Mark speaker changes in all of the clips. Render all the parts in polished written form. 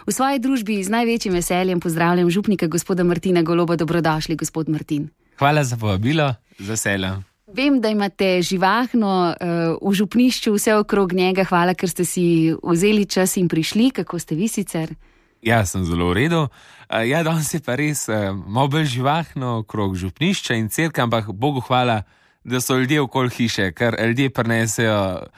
Speaker 1: V svoji družbi z največjim veseljem pozdravljam župnika gospoda Martina Goloba. Dobrodošli, gospod Martin.
Speaker 2: Hvala za povabilo, z veseljem.
Speaker 1: Vem, da imate živahno v župnišču vse okrog njega. Hvala, ker ste si vzeli čas in prišli. Kako ste vi sicer?
Speaker 2: Ja, sem zelo v redu. Danes je pa res malo bolj živahno okrog župnišča in cerkve, ampak Bogu hvala, da so ljudje okoli hiše, ker ljudje prinesejo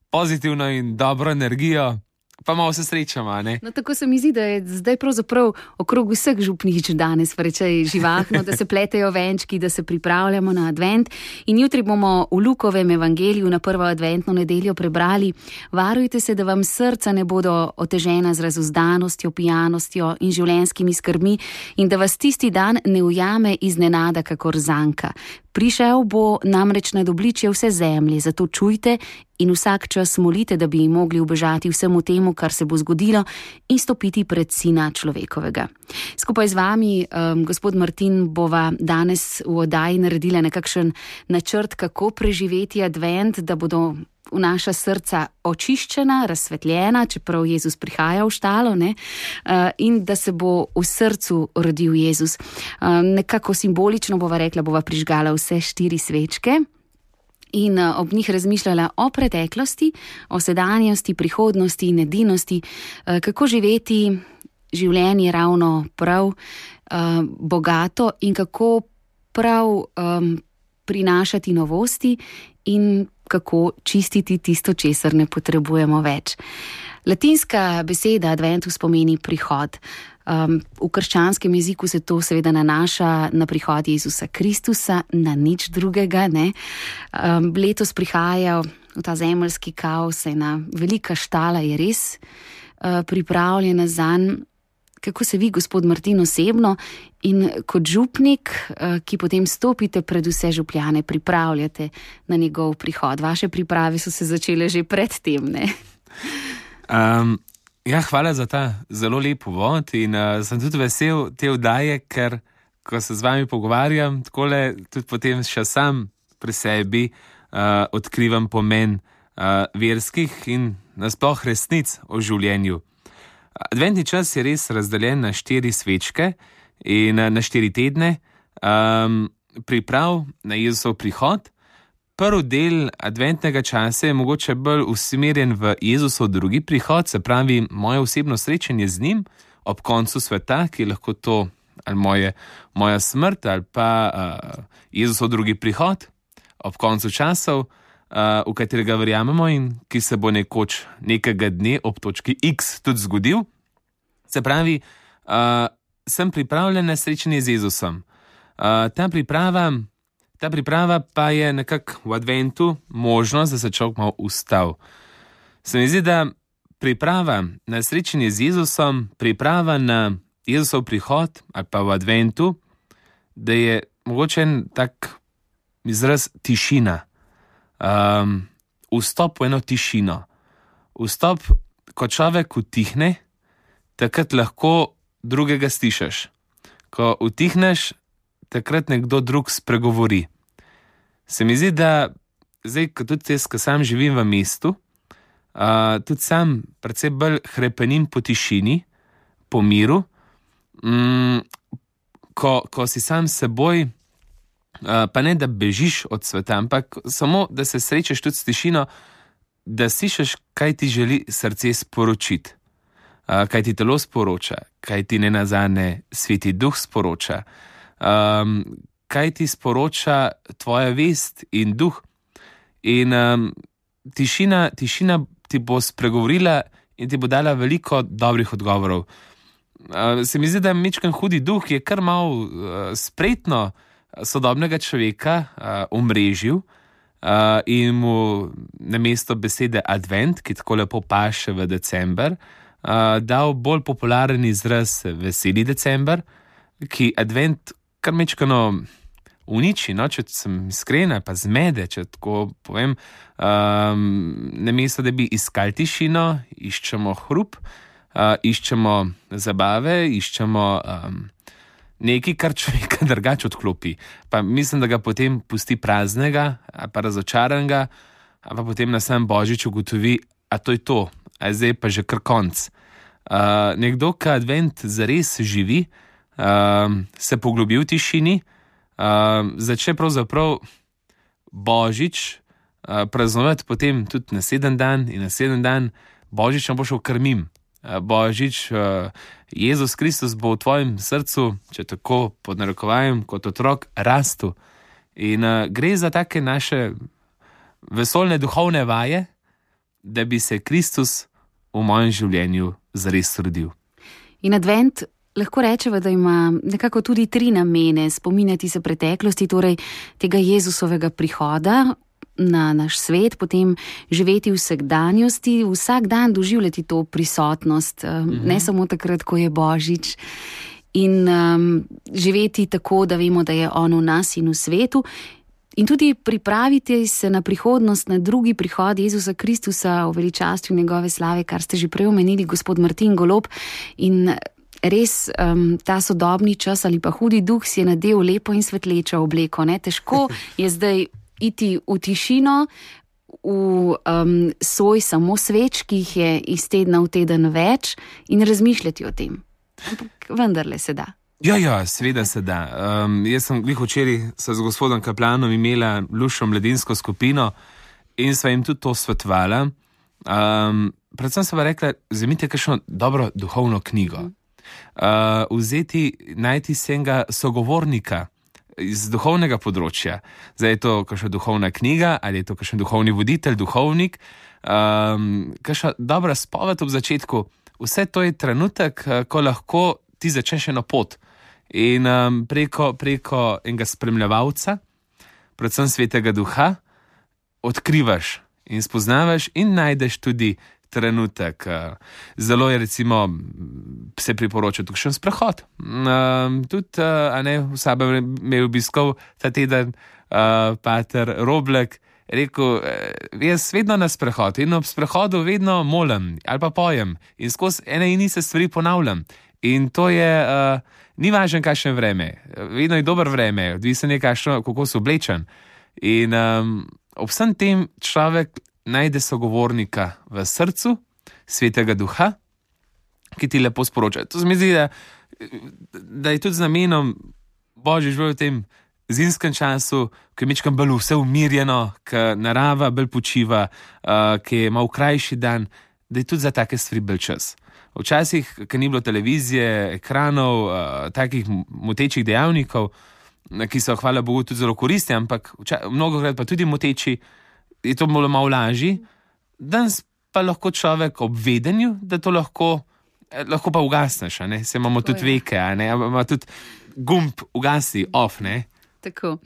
Speaker 2: pozitivno in dobro energijo, pa malo se srečamo, ne?
Speaker 1: No, tako se mi zdi, da je zdaj pravzaprav okrog vseh župnišč danes precej živahno, da se pletejo venčki, da se pripravljamo na advent. In jutri bomo v Lukovem evangeliju na prvo adventno nedeljo prebrali: varujte se, da vam srca ne bodo otežena z razuzdanostjo, pijanostjo in življenjskimi skrbmi in da vas tisti dan ne ujame iznenada kakor zanka. Prišel bo namreč nad obličje vse zemlje, zato čujte in vsak čas molite, da bi mogli ubežati vsemu temu, kar se bo zgodilo, in stopiti pred Sina človekovega. Skupaj z vami, gospod Martin, bova danes v oddaji naredila nekakšen načrt, kako preživeti advent, da bodo v naša srca očiščena, razsvetljena, čeprav Jezus prihaja v štalo, ne? In da se bo v srcu rodil Jezus. Nekako simbolično bova rekla, bova prižgala vse 4 svečke in ob njih razmišljala o preteklosti, o sedanjosti, prihodnosti in edinosti, kako živeti življenje ravno prav, bogato in kako prav prinašati novosti in kako čistiti tisto, česar ne potrebujemo več. Latinska beseda adventus pomeni prihod. V krščanskem jeziku se to seveda nanaša na prihod Jezusa Kristusa, na nič drugega, ne. Letos prihaja v ta zemeljski kaos, ena velika štala je res pripravljena zanj. Kako se vi, gospod Martin, osebno in kot župnik, ki potem stopite pred vse župljane, pripravljate na njegov prihod? Vaše priprave so se začele že pred tem, ne?
Speaker 2: Hvala za ta zelo lep uvod in sem tudi vesel te oddaje, ker ko se z vami pogovarjam, takole tudi potem še sam pri sebi odkrivam pomen verskih in nasploh resnic o življenju. Adventni čas je res razdeljen na 4 svečke in na 4 tedne priprav na Jezusov prihod. Prvi del adventnega časa je mogoče bolj usmerjen v Jezusov drugi prihod, se pravi moje osebno srečanje z njim ob koncu sveta, ki je lahko to ali moja smrt ali pa Jezusov drugi prihod ob koncu časov, v katerega verjamemo in ki se bo nekoč nekega dne ob točki X tudi zgodil. Se pravi, sem pripravljen na srečanje z Jezusom. Ta priprava pa je nekako v adventu možnost, da se človek malo ustav. Se mi zdi, da priprava na srečanje z Jezusom, priprava na Jezusov prihod ali pa v adventu, da je mogoče en tak izraz tišina. Vstop v eno tišino. Vstop, ko človek utihne, takrat lahko drugega slišiš. Ko utihneš, takrat nekdo drug spregovori. Se mi zdi, da zdaj, ko tudi jaz, ko sam živim v mestu, tudi sam precej bolj hrepenim po tišini, po miru, ko si sam s seboj, pa ne da bežiš od sveta, ampak samo da se srečaš tudi s tišino, da slišiš, kaj ti želi srce sporočiti, kaj ti telo sporoča, kaj ti nenazadnje Sveti Duh sporoča, kaj ti sporoča tvoja vest in duh. In tišina ti bo spregovorila in ti bo dala veliko dobrih odgovorov. Se mi zdi, da majčken hudi duh je kar malo spretno sodobnega človeka omrežil in mu namesto besede advent, ki tako lepo paše v december, dal bolj popularen izraz veseli december, ki advent kar majčkeno uniči, no, če sem iskren, pa zmede, če tako povem. Namesto da bi iskali tišino, iščemo hrup, iščemo zabave, iščemo nekaj, kar človeka drugače odklopi. Pa mislim, da ga potem pusti praznega, pa razočaranega, pa potem na sam Božič ugotovi, a to je to, a zdaj pa že kar konc. Nekdo, ki advent zares živi, se poglobi v tišini, začne pravzaprav Božič praznovati potem tudi naslednji dan in naslednji dan. Božič nam bo šel krmim. Božič, Jezus Kristus bo v tvojem srcu, če tako pod narekovajem, kot otrok rastu. In gre za take naše vesoljne duhovne vaje, da bi se Kristus v mojem življenju zares rodil.
Speaker 1: In advent lahko rečeva, da ima nekako tudi 3 namene: spominjati se preteklosti, torej tega Jezusovega prihoda na naš svet, potem živeti v vsakdanjosti, vsak dan doživljati to prisotnost, ne samo takrat, ko je Božič, in živeti tako, da vemo, da je on v nas in v svetu, in tudi pripraviti se na prihodnost, na drugi prihod Jezusa Kristusa v veličastju njegove slave, kar ste že prej omenili, gospod Martin Golob. In res ta sodobni čas ali pa hudi duh si je nadel lepo in svetlečo obleko. Ne? Težko je zdaj iti v tišino, v soj samo sveč, ki jih je iz tedna v teden več, in razmišljati o tem. Ampak vendarle se da.
Speaker 2: Ja, seveda se da. Jaz sem včeraj z gospodom Kaplanom imela lušo mladinsko skupino in sva jim tudi to svetovala. Predvsem sva rekla, vzemite kakšno dobro duhovno knjigo. Najti se enega sogovornika iz duhovnega področja. Zdaj je to kakšna duhovna knjiga, ali je to kakšen duhovni voditelj, duhovnik, kakšna dobra spoved ob začetku. Vse to je trenutek, ko lahko ti začneš eno pot. In preko enega spremljevalca, predvsem Svetega Duha, odkrivaš in spoznavaš in najdeš tudi trenutek. Zelo je recimo se priporoča tukšen sprehod. Tudi v Sabi me je obiskal ta teden pater Roblek, rekel, jaz vedno na sprehod in ob sprehodu vedno molim ali pa pojem in skozi ene in iste stvari ponavljam. In to je, ni važno kakšno vreme, vedno je dobro vreme, odvisno je kako so oblečen. In ob vsem tem človek najde sogovornika v srcu, Svetega Duha, ki ti lepo sporoča. To se mi zdi, da je tudi z namenom Božji živel v tem zimskem času, ko je mečkam bolj vse umirjeno, ko narava bolj počiva, ki je malo krajši dan, da je tudi za take stvari bolj čas. Včasih, ko ni bilo televizije, ekranov, takih motečih dejavnikov, ki so, hvala Bogu, tudi zelo koristni, ampak mnogokrat pa tudi moteči, je to malo lažji. Danes pa lahko človek ob vedenju, da to lahko pa ugasneš, ne? Se imamo tudi veke, ne? Imamo tudi gumb ugasi, off, ne?
Speaker 1: Tako.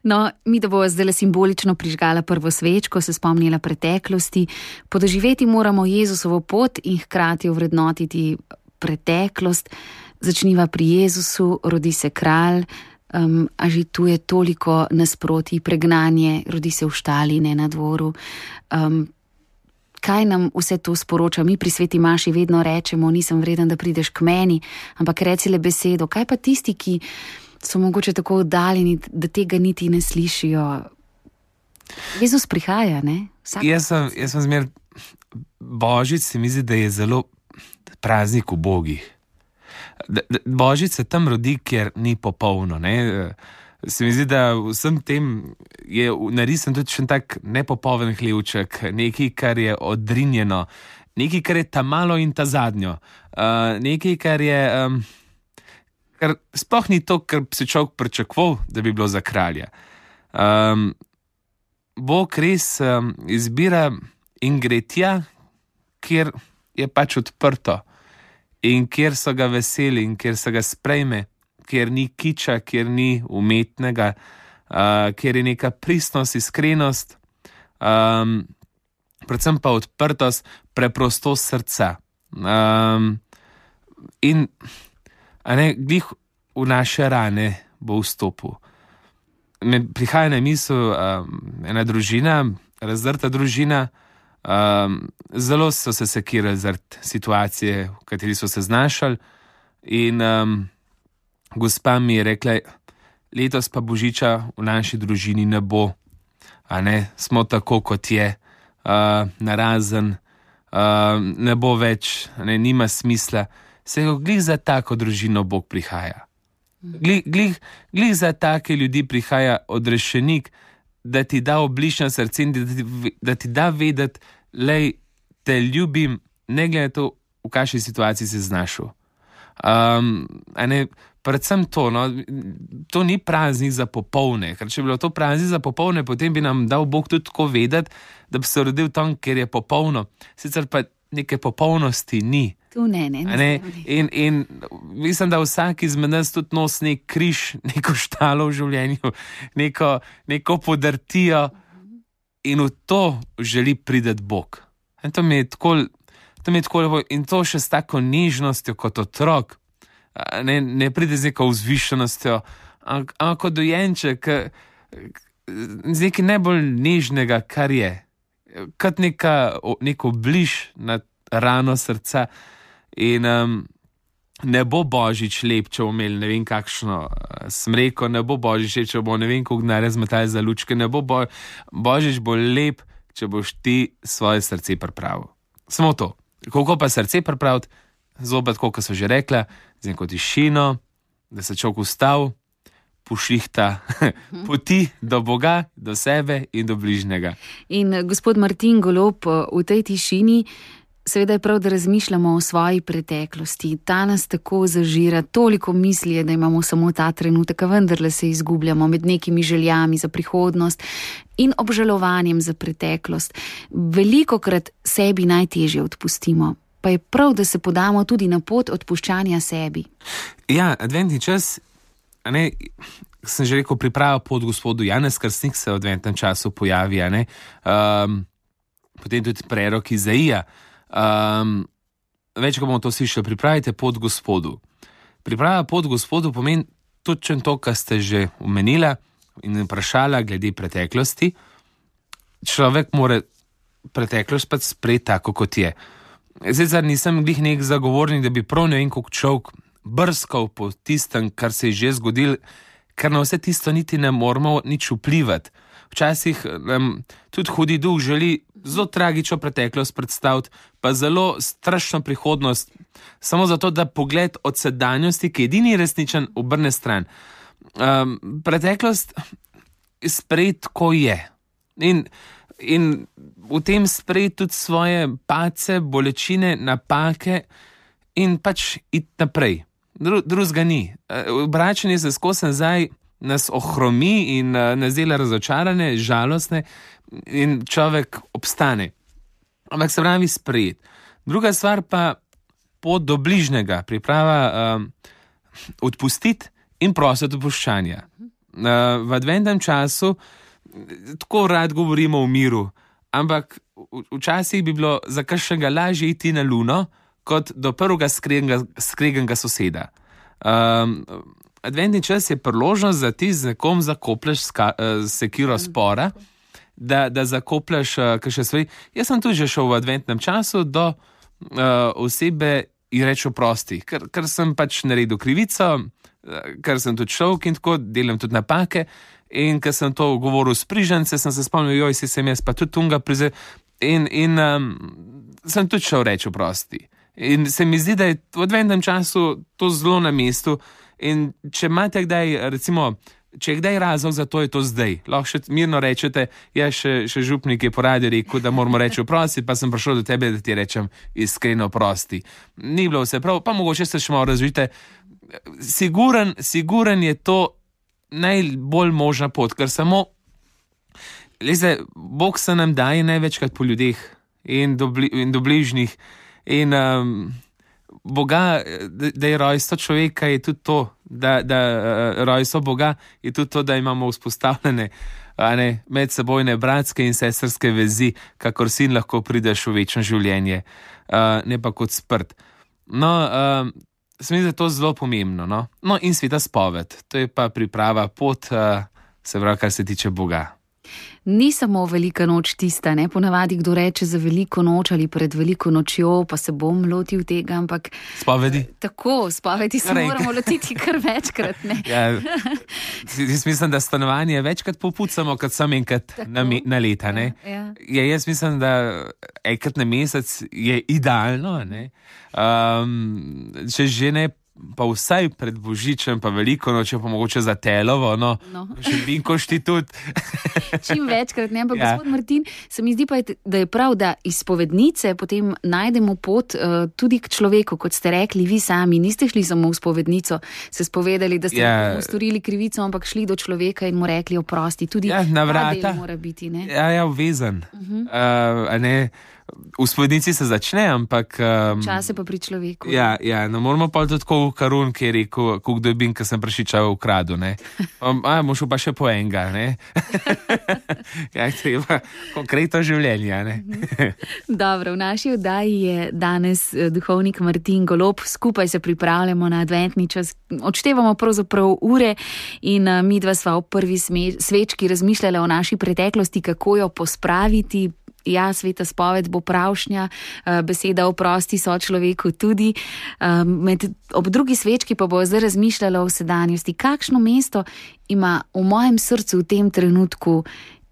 Speaker 1: No, mi da bo zdaj simbolično prižgala prvo svečko, se spomnila preteklosti. Podoživeti moramo Jezusovo pot in hkrati ovrednotiti preteklost. Začniva pri Jezusu, rodi se kralj, a že tu je toliko nasprotij, pregnanje, rodi se v štali, ne na dvoru. Kaj nam vse to sporoča? Mi pri sveti maši vedno rečemo, nisem vreden, da prideš k meni, ampak reci le besedo. Kaj pa tisti, ki so mogoče tako oddaljeni, da tega niti ne slišijo? Jezus prihaja, ne?
Speaker 2: Jaz sem zmer, Božič se mi zdi, da je zelo praznik ubogih. Božič se tam rodi, kjer ni popolno, ne? Se mi zdi, da vsem tem je narisen tudi še tak nepopoln hlevček, nekaj, kar je odrinjeno, nekaj, kar je ta malo in ta zadnjo, nekaj, kar je, kar sploh ni to, kar si človek pričakoval, da bi bilo za kralja. Bog res izbira in gre tja, kjer je pač odprto in kjer so ga veseli in kjer se ga sprejme, kjer ni kiča, kjer ni umetnega, kjer je neka pristnost, iskrenost, predvsem pa odprtost, preprostost srca. In glih v naše rane bo vstopil. Prihaja na misel ena družina, razdrta družina, zelo so se sekirali zaradi situacije, v kateri so se znašali, in gospa mi je rekla, letos pa božiča v naši družini ne bo, smo tako, kot je, narazen, ne bo več, nima smisla. Se glih za tako družino Bog prihaja. Glih za take ljudi prihaja odrešenik, da ti da oblična srce in da ti da vedeti, lej, te ljubim, ne glede to, v kakšni situaciji si znašel. Predvsem to, no, to ni praznik za popolne, ker če bi bilo to praznik za popolne, potem bi nam dal Bog tudi tako vedeti, da bi se rodil tam, ker je popolno. Sicer pa neke popolnosti ni.
Speaker 1: Tu ne.
Speaker 2: In mislim, da vsak izmed nas tudi nosi nek križ, neko štalo v življenju, neko podrtijo in v to želi priti Bog. In to mi je tako lepo in to še s tako nežnostjo kot otrok. Ne pride z neko vzvišenostjo, ampak kot dojenček, z nekaj najbolj nežnega, kar je. Kot neko bliž na rano srca. In ne bo Božič lep, če bomo imeli ne vem kakšno smreko, ne bo Božič lep, če bomo ne vem koliko denarja zmetali za lučke, ne bo Božič bo lep, če boš ti svoje srce pripravil. Samo to. Koliko pa srce pripraviti, zopet, kot so že rekla, z neko tišino, da se človek ustav, pošihta poti do Boga, do sebe in do bližnjega.
Speaker 1: In gospod Martin Golob, v tej tišini seveda je prav, da razmišljamo o svoji preteklosti. Ta nas tako zažira, toliko misli je, da imamo samo ta trenutek, a vendarle se izgubljamo med nekimi željami za prihodnost in obžalovanjem za preteklost. Velikokrat sebi najtežje odpustimo, pa je prav, da se podamo tudi na pot odpuščanja sebi.
Speaker 2: Ja, adventni čas, sem že rekel, priprava pot gospodu. Janez Krstnik se v adventnem času pojavi, potem tudi prerok Izaija. Več, ko bomo to slišali, pripravite pot gospodu. Priprava pot gospodu pomeni točno to, kar ste že omenila in vprašala glede preteklosti. Človek mora preteklost pa sprejeti tako, kot je. Zdaj nisem glih nek zagovornik, da bi prav ne vem, koliko človek brskal po tistem, kar se je že zgodil, ker na vse tisto niti ne moramo nič vplivati. Včasih tudi hudi duh želi zelo tragično preteklost predstaviti, pa zelo strašno prihodnost, samo zato, da pogled od sedanjosti, ki je edini resničen, obrne stran. Preteklost sprejeti, ko je. In v tem sprejeti tudi svoje padce, bolečine, napake in pač iti naprej. Drugega ni. Obračanje se skozi nazaj nas ohromi in nas dela razočarane, žalostne in človek obstane. Ampak se pravi sprejeti. Druga stvar pa pot do bližnjega, priprava odpustiti in prositi odpuščanja. V adventnem času tako rad govorimo o miru, ampak včasih bi bilo za kakšnega lažje iti na luno, kot do prvega skreganega soseda. Adventni čas je priložnost, da ti z nekom zakoplješ sekiro spora, da zakoplješ kakšne stvari. Jaz sem tudi že šel v adventnem času do osebe in reči oprosti, ker sem pač naredil krivico, ker sem tudi človek in tako, delam tudi napake in ker sem to govoril s prižance, sem se spomnil, sem jaz pa tudi tunga prizel in sem tudi šel reči oprosti. In se mi zdi, da je v adventnem času to zelo na mestu. In če imate kdaj, recimo, če je kdaj razlog za to, je to zdaj. Lahko še mirno rečete, še župnik je po radiju rekel, da moramo reči oprosti, pa sem prišel do tebe, da ti rečem iskreno oprosti. Ni bilo vse prav, pa mogoče se še malo razvijete. Siguren je to najbolj možna pot, ker samo, Bog se nam daje največkrat po ljudeh in do bližnjih. In Boga, da je rojstvo človeka, je tudi to, da rojstvo Boga je tudi to, da imamo vzpostavljene medsebojne bratske in sestrske vezi, kakor sin lahko prideš v večno življenje, ne pa kot sprt. No, se mi zdi, da je to zelo pomembno. No in sveta spoved, to je pa priprava pot, se pravi, kar se tiče Boga.
Speaker 1: Ni samo velika noč tista, ne? Ponavadi kdo reče za veliko noč ali pred veliko nočjo, pa se bom lotil tega, ampak...
Speaker 2: Spovedi?
Speaker 1: Tako, spovedi se moramo lotiti kar večkrat, ne?
Speaker 2: Ja, jaz mislim, da stanovanje večkrat popucamo, kot sam enkrat na leta, ne? Ja, jaz mislim, da enkrat na mesec je idealno, ne? Če že ne, pa vsaj pred Božičem, pa veliko noče, pa mogoče za telovo, še vinkošti tudi.
Speaker 1: Čim večkrat, ne, ampak gospod Martin, se mi zdi pa, da je prav, da iz spovednice potem najdemo pot tudi k človeku, kot ste rekli, vi sami niste šli samo v spovednico, se spovedali, da ste storili krivico, ampak šli do človeka in mu rekli oprosti, tudi
Speaker 2: na vrata.
Speaker 1: Ta del mora biti, ne?
Speaker 2: Ja, obvezen. V spovednici se začne, ampak...
Speaker 1: Čase pa pri človeku.
Speaker 2: Ja, ne moramo pa tudi tako v Karun, ki je rekel, kdo je bin, ki sem prešičal v kradu, ne. Mošel pa še po enega, ne. Ja, treba konkretno življenje, ne.
Speaker 1: Dobro, v naši oddaji je danes duhovnik Martin Golob, skupaj se pripravljamo na adventni čas, odštevamo pravzaprav ure in mi dva sva v prvi svečki razmišljala o naši preteklosti, kako jo pospraviti. Ja, sveta spoved bo pravšnja, beseda oprosti sočloveku tudi. Ob drugi svečki pa bo zdaj razmišljala o sedanjosti. Kakšno mesto ima v mojem srcu v tem trenutku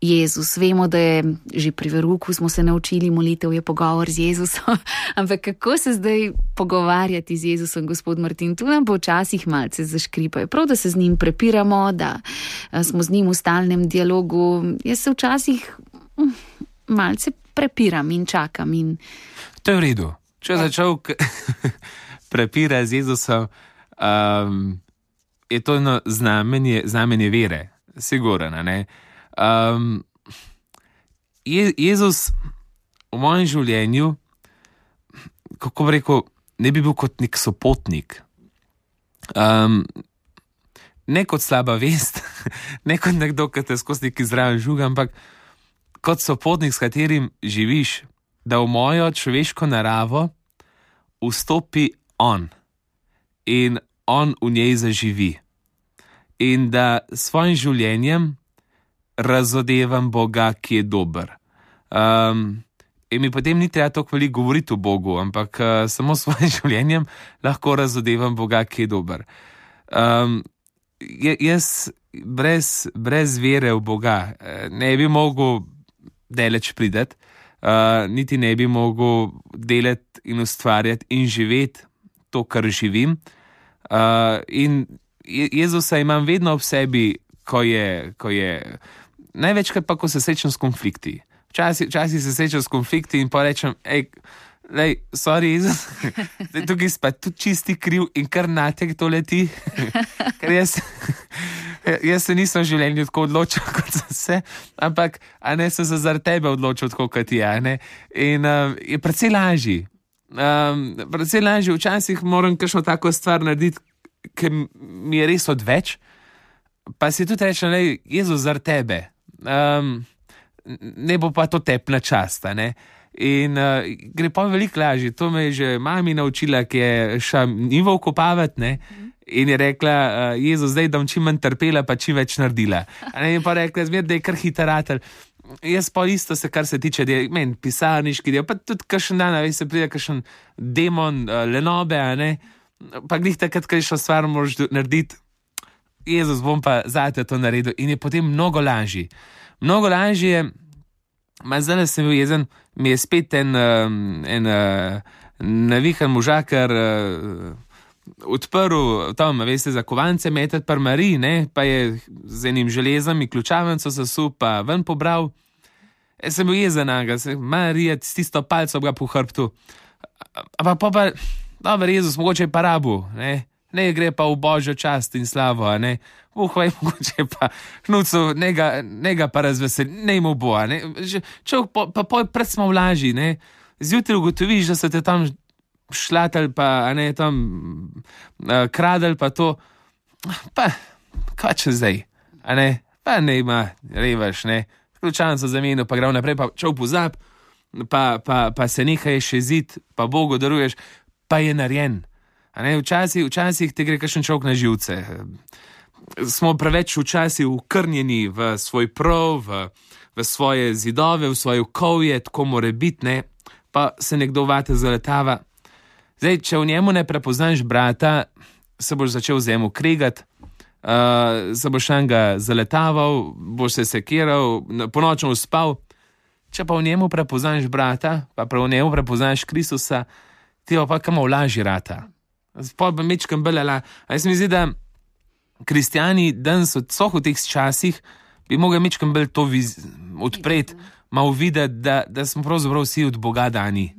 Speaker 1: Jezus? Vemo, da je že pri veruku, smo se naučili, molitev je pogovor z Jezusom. Ampak kako se zdaj pogovarjati z Jezusom, gospod Martin? Tu nam bo včasih malce zaškripajo. Prav, da se z njim prepiramo, da smo z njim v stalnem dialogu. Jaz se včasih... malce prepiram in čakam.
Speaker 2: To je v redu. Če je začel prepira z Jezusom, je to eno znamenje vere. Sigurno, ne? Jezus v mojem življenju, kako bi rekel, ne bi bil kot nek sopotnik. Ne kot slaba vest, ne kot nekdo, ki te skozi neki zraven žuga, ampak kot sopotnik, s katerim živiš, da v mojo človeško naravo vstopi on in on v njej zaživi. In da s svojim življenjem razodevam Boga, ki je dober. In mi potem ni treba toliko veliko govoriti o Bogu, ampak samo s svojim življenjem lahko razodevam Boga, ki je dober. Jaz brez vere v Boga ne bi mogel daleč prideti, niti ne bi mogel delati in ustvarjati in živeti to, kar živim. In Jezusa imam vedno ob sebi, ko je največkrat pa, ko se srečam s konflikti. Včasih se srečam s konflikti in pa rečem, sorry Jezus, tukaj si pa tudi čisti kriv in kar natek to leti, ker jaz se nisem v življenju tako odločil, kot sem se, ampak sem se zaradi tebe odločil tako, kot je, ne? In je precej lažji. Včasih moram kakšno tako stvar narediti, ker mi je res odveč, pa si tudi rečem, Jezus, zaradi tebe. Ne bo pa to tepna časta, ne? In gre pa veliko lažje. To me je že mami naučila, ki je šla njivo okopavati, ne? In je rekla, Jezus, zdaj da bom čim manj trpela, pa čim več naredila. In pa rekla, da je kar hitaratelj. Jaz pa isto se, kar se tiče meni, pisarniški del, pa tudi kakšen dan, se pride kakšen demon lenobe, ne? Pa glih takrat, kakšno stvar moraš narediti, Jezus, bom pa zate to naredil. In je potem mnogo lažji. Mnogo lažje je, zdaj sem bil jezen, mi je spet en navihan možakar odprl, tam, veste, za kovance metati par Marij, ne, pa je z enim železom in ključavnico zasul, pa ven pobral. Sem bil jezen, Marija, s tisto palco ga po hrbtu. Pa, dober Jezus, mogoče je pa rabu, ne gre pa v božjo čast in slavo, ne. Mogoče pa hnucu, ne ga pa razveseli, ne mu bo, ne. Človek pa pred smo vlaži, ne. Zjutraj ugotoviš, da se te tam šlatel, pa ne tam kradel, pa to, pa kaj če zdaj, a ne, pa ne ima, revaš, ne, ključavnico zamenil, pa gre naprej, pa čov pozab, pa se nekaj še zid, pa Bogu daruješ, pa je narejen. A ne, včasih ti gre kakšen človek na živce. smo preveč včasih ukrnjeni v svoj prav, v svoje zidove, v svoje okolje, tako more biti, ne, pa se nekdo vate zaletava. Zdaj, če v njemu ne prepoznaš brata, se boš začel z njemu kregati, se boš enega zaletaval, boš se sekiral, ponočno spal. Če pa v njemu prepoznaš brata, pa v njemu prepoznaš Kristusa, ti pa kamo lažji rata. Pa bi mečkam belela. A jaz mi zdi, da kristjani danes v teh časih bi mogli mečkam bel to odpreti, malo videti, da smo pravzaprav vsi od Boga dani.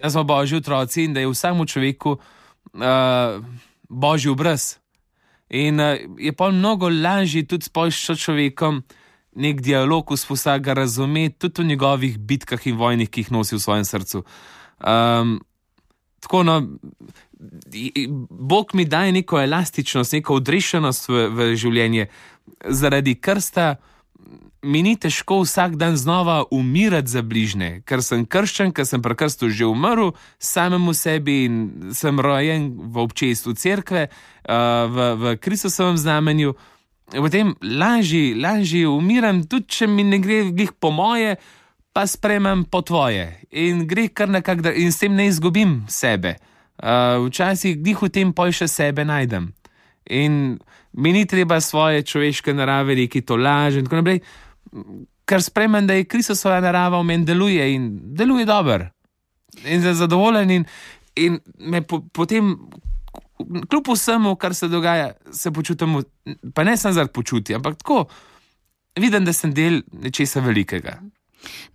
Speaker 2: Da smo Božji otroci in da je vsakmu človeku Božji obraz. In je pa mnogo lažje tudi s človekom nek dialog vzpostaviti, ga razumeti, tudi v njegovih bitkah in vojnih, ki jih nosi v svojem srcu. Tako, no, Bog mi daje neko elastičnost, neko odrešenost v življenje. Zaradi krsta mi ni težko vsak dan znova umirati za bližnje, ker sem krščen, ker sem pri krstu že umrl samemu sebi in sem rojen v občestvu cerkve, v Kristusovem znamenju. Potem lažje umiram, tudi če mi ne gre glih po moje, pa sprejmem po tvoje. In gre kar nekako, in s tem ne izgubim sebe. Včasih glih v tem pol še sebe najdem. In mi ni treba svoje človeške narave reki to laž in tako naprej, ker sprejmem, da je Kristusova narava v meni deluje in deluje dobro. In zadovoljen in me potem, kljub vsemu, kar se dogaja, se počutim, pa ne samo zaradi počutja, ampak tako, vidim, da sem del nečesa velikega.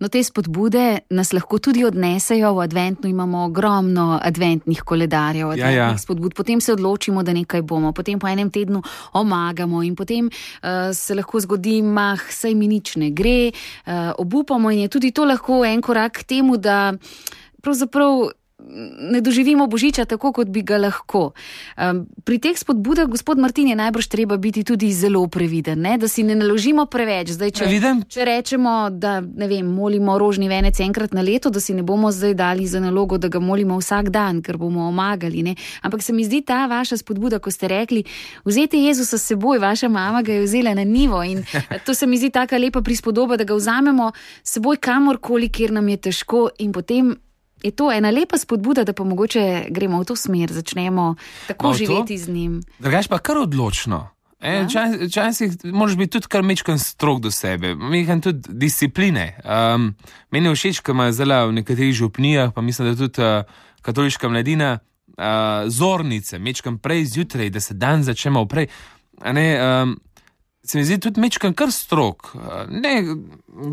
Speaker 1: No, te spodbude nas lahko tudi odnesejo. V adventnu imamo ogromno adventnih koledarjev, adventnih spodbud. Potem se odločimo, da nekaj bomo, potem po enem tednu omagamo in potem se lahko zgodi, saj mi nič ne gre, obupamo in je tudi to lahko en korak k temu, da pravzaprav ne doživimo Božiča tako, kot bi ga lahko. Pri teh spodbudah, gospod Martin, je najbrž treba biti tudi zelo previden, ne? Da si ne naložimo preveč. Zdaj, če rečemo, da ne vem, molimo rožni venec enkrat na leto, da si ne bomo zdaj dali za nalogo, da ga molimo vsak dan, ker bomo omagali, ne? Ampak se mi zdi ta vaša spodbuda, ko ste rekli, vzeti Jezusa s seboj, vaša mama ga je vzela na nivo in to se mi zdi taka lepa prispodoba, da ga vzamemo s seboj kamorkoli, kjer nam je težko in potem je to ena lepa spodbuda, da pa mogoče gremo v to smer, začnemo tako živeti z njim.
Speaker 2: Drugač pa kar odločno. Včasih moraš biti tudi kar mečkan strog do sebe, mečkan tudi discipline. Meni je všeč, ko ima zelo v nekaterih župnijah, pa mislim, da tudi katoliška mladina, zornice, mečkan prej zjutraj, da se dan začnemo prej. Se mi zdi tudi mečkan kar strog. Ne,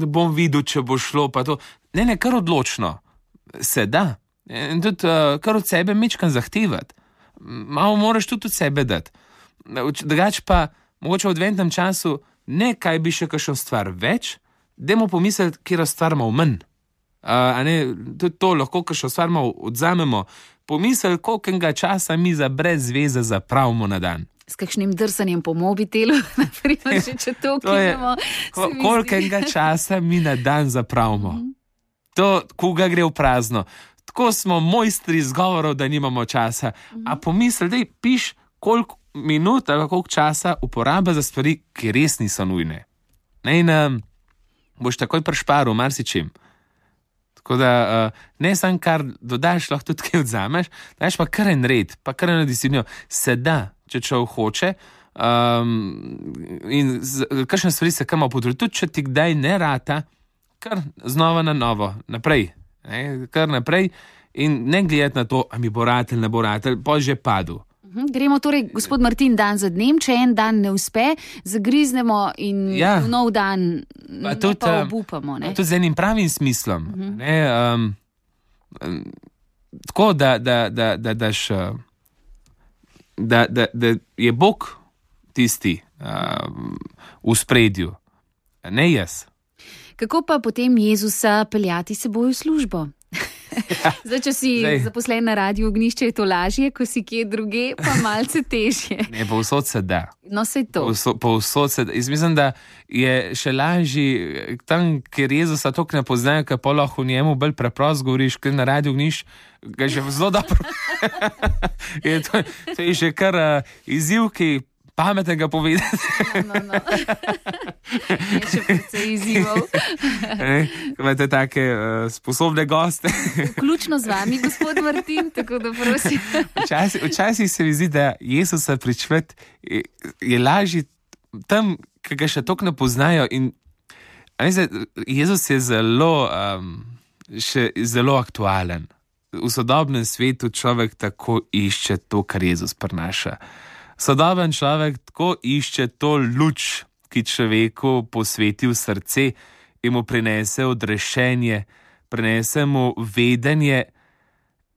Speaker 2: bom videl, če bo šlo, pa to. Ne, kar odločno. Se da. In tudi kar od sebe mečkan zahtevati. Malo moraš tudi od sebe dati. Drugač pa, mogoče v adventnem času, ne kaj bi še kakšno stvar več, dajmo pomisliti, kjer stvar malo manj. Tudi to lahko kakšno stvar malo odzamemo. Pomisliti, kolikega časa mi za brez zveze zapravimo na dan.
Speaker 1: S kakšnim drsanjem po mobitelu, naprimer, če to ukinemo.
Speaker 2: Kolikega časa mi na dan zapravimo. To, koga gre v prazno. Tako smo mojstri izgovorov, da nimamo časa. A pomisli, da piš, koliko minut ali koliko časa uporaba za stvari, ki res niso nujne. In boš takoj prešparil marsičim. Tako da ne samo kar dodaš, lahko tudi kaj odzameš, daš pa kar en red, pa kar eno disciplino. Se da, če človek hoče, in kakšne stvari se kama potrudi, tudi če ti kdaj ne rata, kar znova na novo, naprej, kar naprej in ne gledati na to, a mi bo ratelj, ne bo ratelj, pa že padel.
Speaker 1: Gremo torej, gospod Martin, dan za dnem, če en dan ne uspe, zagriznemo in v nov dan pa obupamo.
Speaker 2: Tudi z enim pravim smislom. Tako, da je Bog tisti v spredju, ne jaz.
Speaker 1: Kako pa potem Jezusa peljati seboj v službo? Zdaj, če si zaposlen na Radiu Ognjišče, je to lažje, ko si kje druge, pa malce težje.
Speaker 2: Ne, povsod se da.
Speaker 1: No, sej to.
Speaker 2: Povsod se da. Jaz mislim, da je še lažje tam, kjer Jezusa toliko ne poznajo, ker pa lahko v njemu bolj preprosto govoriš, ker na Radiu Ognjišče ga že zelo dobro. To je že kar izziv, ki pametnega povedati.
Speaker 1: No. Je še precej izzivov.
Speaker 2: Imate take sposobne goste.
Speaker 1: Vključno z vami, gospod Martin, tako da prosim.
Speaker 2: Včasih se mi zdi, da Jezusa pričvet je lažje tam, ki ga še toliko ne poznajo. In Jezus je še zelo aktualen. V sodobnem svetu človek tako išče to, kar Jezus prinaša. Sodoben človek tako išče to luč, ki človeku posveti v srce in mu prinese odrešenje, prinese mu vedenje,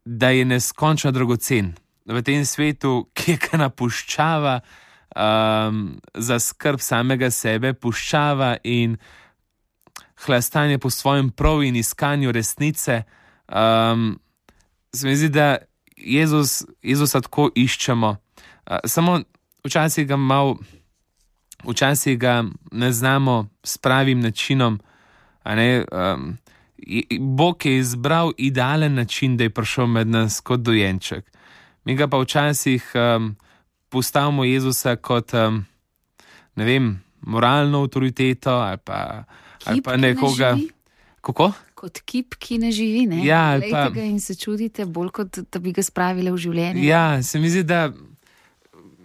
Speaker 2: da je neskončno dragocen. V tem svetu, ki ga napuščava za skrb samega sebe, puščava in hlastanje po svojem prav in iskanju resnice, se mi zdi, da Jezusa tako iščemo. Samo včasih ga ne znamo s pravim načinom. Bog je izbral idealen način, da je prišel med nas kot dojenček. Mi ga pa včasih postavimo Jezusa kot, ne vem, moralno avtoriteto ali pa nekoga. Kako?
Speaker 1: Kot kip, ki ne živi, ne?
Speaker 2: Ja,
Speaker 1: glejte ga in se čudite, bolj kot da bi ga spravili v življenje.
Speaker 2: Ja, se mi zdi, da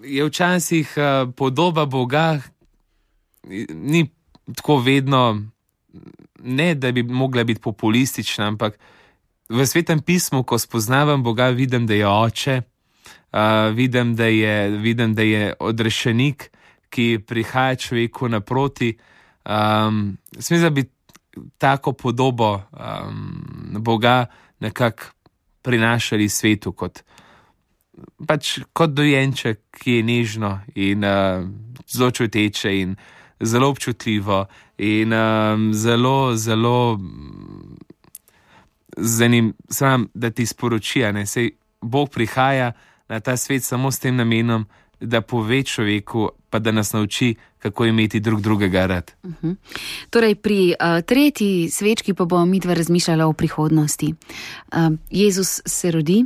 Speaker 2: je včasih podoba Boga ni tako vedno, ne da bi mogla biti populistična, ampak v Svetem pismu, ko spoznavam Boga, vidim, da je oče, vidim, da je odrešenik, ki prihaja človeku naproti. Se mi zdi, da bi tako podobo Boga nekako prinašali svetu kot dojenček, ki je nežno in zelo čuteče in zelo občutljivo in zelo da ti sporoči, saj Bog prihaja na ta svet samo s tem namenom, da pove človeku, pa da nas nauči, kako imeti drug drugega rad.
Speaker 1: Torej, pri tretji svečki pa bomo midva razmišljala o prihodnosti. Jezus se rodi,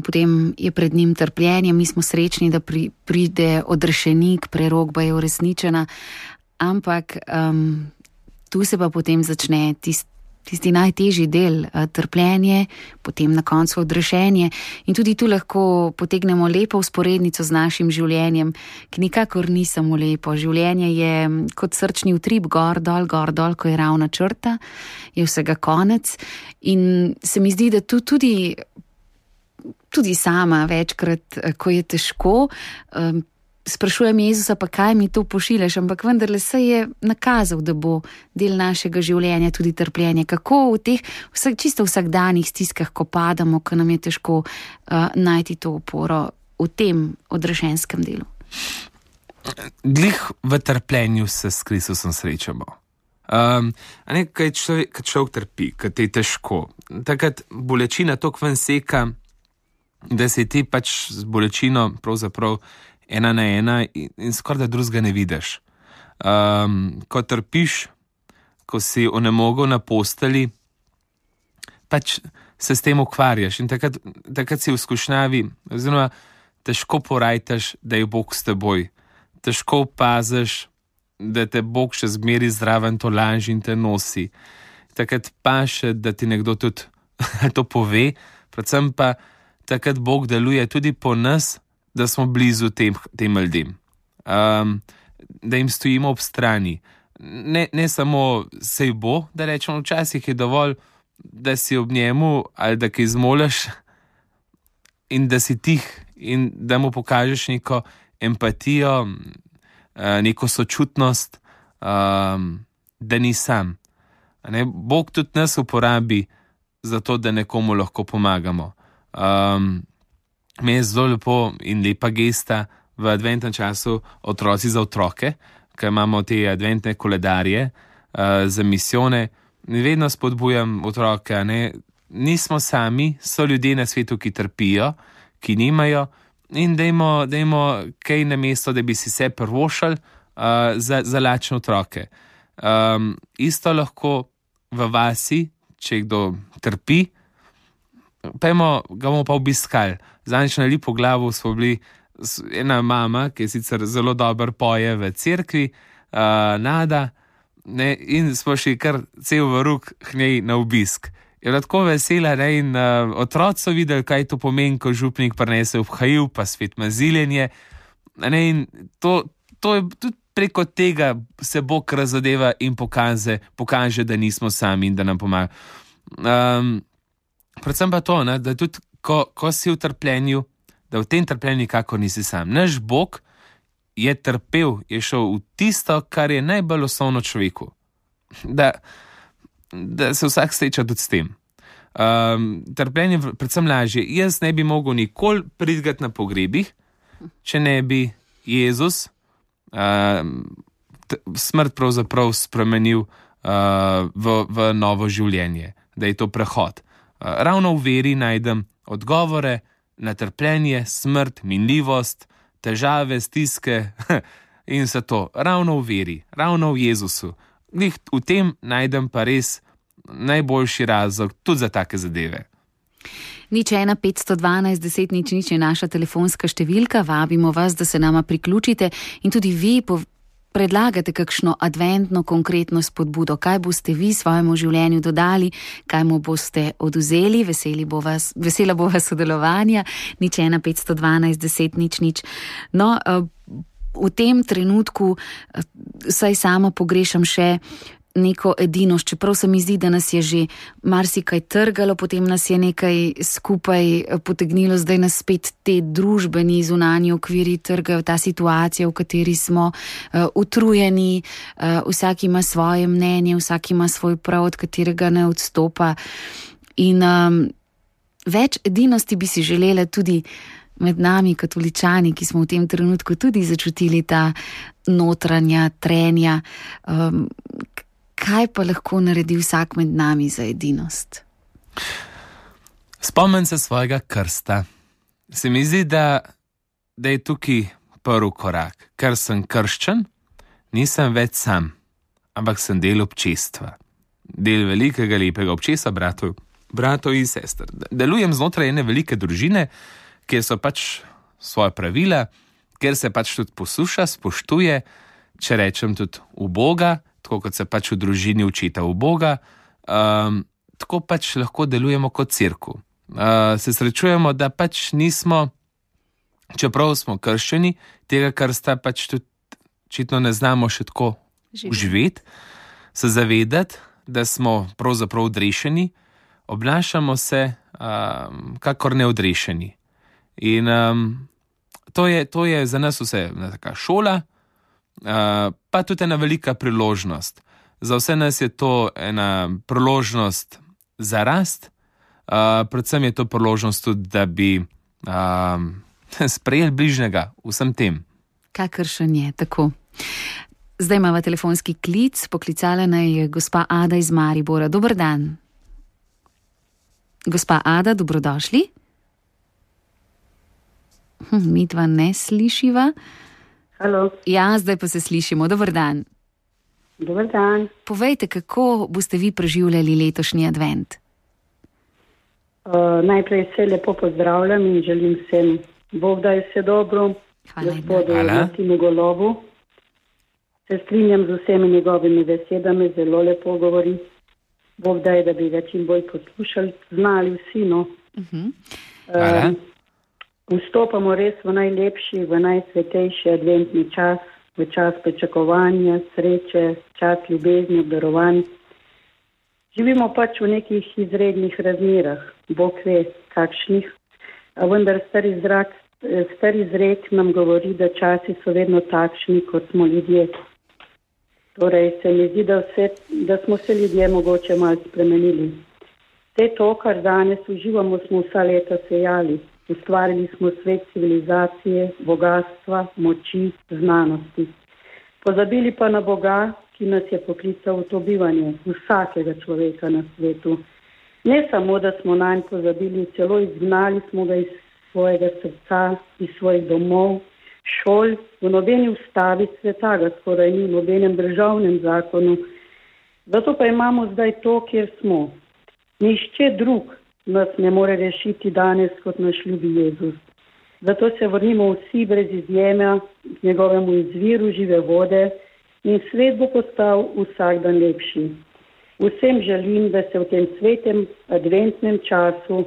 Speaker 1: potem je pred njim trpljenje, mi smo srečni, da pride odrešenik, prerokba je uresničena, ampak tu se pa potem začne tisti najtežji del, trpljenje, potem na koncu odrešenje. In tudi tu lahko potegnemo lepo vzporednico z našim življenjem, ki nikakor ni samo lepo. Življenje je kot srčni utrip, gor, dol, ko je ravna črta, je vsega konec. In se mi zdi, da tu tudi sama večkrat, ko je težko, sprašujem Jezusa, pa kaj mi to pošiljaš, ampak vendarle se je nakazal, da bo del našega življenja tudi trpljenje. Kako v teh čisto vsakdanjih stiskah, ko padamo, ko nam je težko najti to oporo v tem odrešenskem delu?
Speaker 2: Glih v trpljenju se s Kristusom srečamo. Kaj človek trpi, kaj te je težko. Takrat bolečina toliko ven seka, da se ti pač z bolečino pravzaprav ena na ena in skoraj da drugega ne vidiš. Ko trpiš, ko si onemogel na posteli, pač se s tem ukvarjaš in takrat si v skušnjavi, oziroma težko porajtaš, da je Bog s teboj. Težko opaziš, da te Bog še zmeri zraven to laži in te nosi. Takrat pa še, da ti nekdo tudi to pove, predvsem pa takrat Bog deluje tudi po nas, da smo blizu tem ljudem, da jim stojimo ob strani. Ne samo sej bo, da rečemo, včasih je dovolj, da si ob njemu ali da kaj zmoliš in da si tih in da mu pokažeš neko empatijo, neko sočutnost, da ni sam. Bog tudi nas uporabi za to, da nekomu lahko pomagamo. Mi je zelo lepo in lepa gesta v adventnem času Otroci za otroke, ker imamo te adventne koledarje za misijone. Vedno spodbujam otroke, nismo sami, so ljudje na svetu, ki trpijo, ki nimajo in dajmo kaj namesto, da bi si se prvošali za lačne otroke. Isto lahko v vasi, če kdo trpi, ga bomo pa obiskali. Zadnjič na Lipo Glavu smo bili ena mama, ki sicer zelo dobro poje v cerkvi, Nada, ne, in smo šli kar cel vruk k njej na obisk. Je bila tako vesela, ne, in otroci so videli, kaj to pomeni, ko župnik prinese obhajiv, pa svet maziljenje. Ne, in to je tudi preko tega se Bog razodeva in pokaže, da nismo sami in da nam pomaga. Predvsem pa to, ne, da tudi ko si v trpljenju, da v tem trpljenju nikakor nisi sam. Naš Bog je trpel, je šel v tisto, kar je najbolj osnovno človeku. Da se vsak sreča tudi s tem. Trpljenje predvsem lažje. Jaz ne bi mogel nikoli pridigati na pogrebih, če ne bi Jezus smrt pravzaprav spremenil v novo življenje, da je to prehod. Ravno v veri najdem odgovore na trpljenje, smrt, minljivost, težave, stiske in vse to. Ravno v veri, ravno v Jezusu. V tem najdem pa res najboljši razlog tudi za take zadeve.
Speaker 1: 01 512 10 00 je naša telefonska številka, vabimo vas, da se nama priključite in tudi vi predlagate kakšno adventno konkretno spodbudo, kaj boste vi svojemu življenju dodali, kaj mu boste oduzeli, vesela bo vas sodelovanja, 01 512 10 00. No, v tem trenutku saj sama pogrešam še neko edinost, čeprav se mi zdi, da nas je že marsikaj trgalo, potem nas je nekaj skupaj potegnilo, zdaj nas spet te družbeni zunanji okviri trgajo, ta situacija, v kateri smo utrujeni, vsak ima svoje mnenje, vsak ima svoj prav, od katerega ne odstopa. In več edinosti bi si želela tudi med nami, katoličani, ki smo v tem trenutku tudi začutili ta notranja trenja. Kaj pa lahko naredi vsak med nami za edinost?
Speaker 2: Spomnim se svojega krsta. Se mi zdi, da je tukaj prvi korak. Ker sem krščen, nisem več sam, ampak sem del občestva. Del velikega, lepega občestva, bratov in sester. Delujem znotraj ene velike družine, kjer so pač svoje pravila, kjer se pač tudi posluša, spoštuje, če rečem tudi v Boga, tako kot se pač v družini učita v Boga, tako pač lahko delujemo kot cerkev. Se srečujemo, da pač nismo, čeprav smo krščeni, tega krsta pač tudi očitno ne znamo še tako uživeti, se zavedati, da smo pravzaprav odrešeni, obnašamo se kakor neodrešeni. In to je za nas vse taka šola, pa tudi ena velika priložnost. Za vse nas je to ena priložnost za rast, predvsem je to priložnost tudi, da bi sprejeli bližnjega vsem tem.
Speaker 1: Kakršen je, tako. Zdaj imamo telefonski klic, poklicala naj je gospa Ada iz Maribora. Dober dan. Gospa Ada, dobrodošli. Midva ne slišiva.
Speaker 3: Halo.
Speaker 1: Ja, zdaj pa se slišimo. Dober dan.
Speaker 3: Dober dan.
Speaker 1: Povejte, kako boste vi preživljali letošnji advent?
Speaker 3: Najprej se lepo pozdravljam in želim vsem Bog daj vse dobro, Gospodu Martinu Golobu. Se strinjam z vsemi njegovimi besedami, zelo lepo govori. Bog daj, da bi ga čim bolj poslušali, znali vsi, no. Vstopamo res v najlepši, v najsvetejši adventni čas, v čas pričakovanja, sreče, čas ljubezni, obdarovanj. Živimo pač v nekih izrednih razmerah, Bog ve kakšnih, a vendar star izrek nam govori, da časi so vedno takšni, kot smo ljudje. Torej se mi zdi, da smo se ljudje mogoče malo spremenili. Vse to, kar danes uživamo, smo vsa leta sejali. Ustvarili smo svet civilizacije, bogatstva, moči, znanosti. Pozabili pa na Boga, ki nas je poklical v to bivanje, vsakega človeka na svetu. Ne samo, da smo nanj pozabili, celo izgnali smo ga iz svojega srca, iz svojih domov, šol, v nobeni ustavi sveta ga skoraj ni, v nobenem državnem zakonu. Zato pa imamo zdaj to, kjer smo. Nihče drug nas ne more rešiti danes kot naš ljubi Jezus. Zato se vrnimo vsi brez izjeme k njegovemu izviru žive vode in svet bo postal vsak dan lepši. Vsem želim, da se v tem svetem adventnem času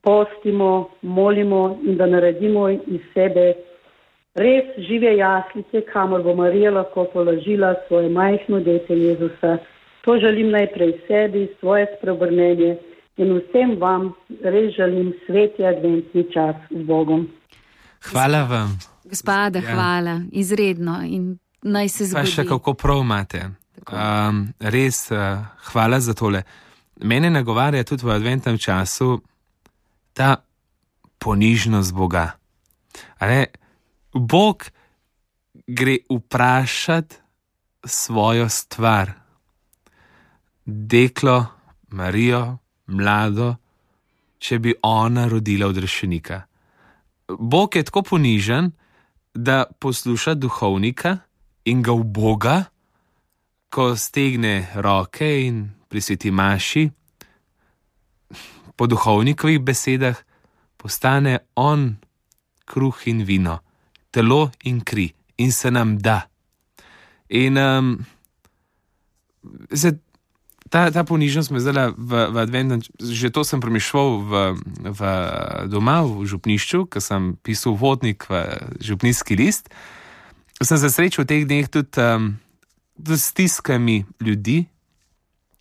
Speaker 3: postimo, molimo in da naredimo iz sebe res žive jaslice, kamor bo Marija lahko položila svoje majhno dete Jezusa. To želim najprej sebi, svoje spreobrnenje in vsem vam res želim sveti adventni čas z Bogom.
Speaker 2: Hvala vam.
Speaker 1: Gospoda, hvala, izredno in naj se zgodi.
Speaker 2: Pa še kako prav imate. Res, hvala za tole. Mene nagovarja tudi v adventnem času ta ponižnost Boga. Bog gre vprašati svojo stvar. Deklo, Marijo, mlado, če bi ona rodila odrešenika. Bog je tako ponižen, da posluša duhovnika in ga uboga, ko stegne roke in pri sveti maši, po duhovnikovih besedah, postane on kruh in vino, telo in kri in se nam da. In ta ponižnost me zdala v adventnem, že to sem premišljal v doma v župnišču, ko sem pisal vodnik v župnijski list. Sem se srečal v teh dneh tudi s stiskami ljudi,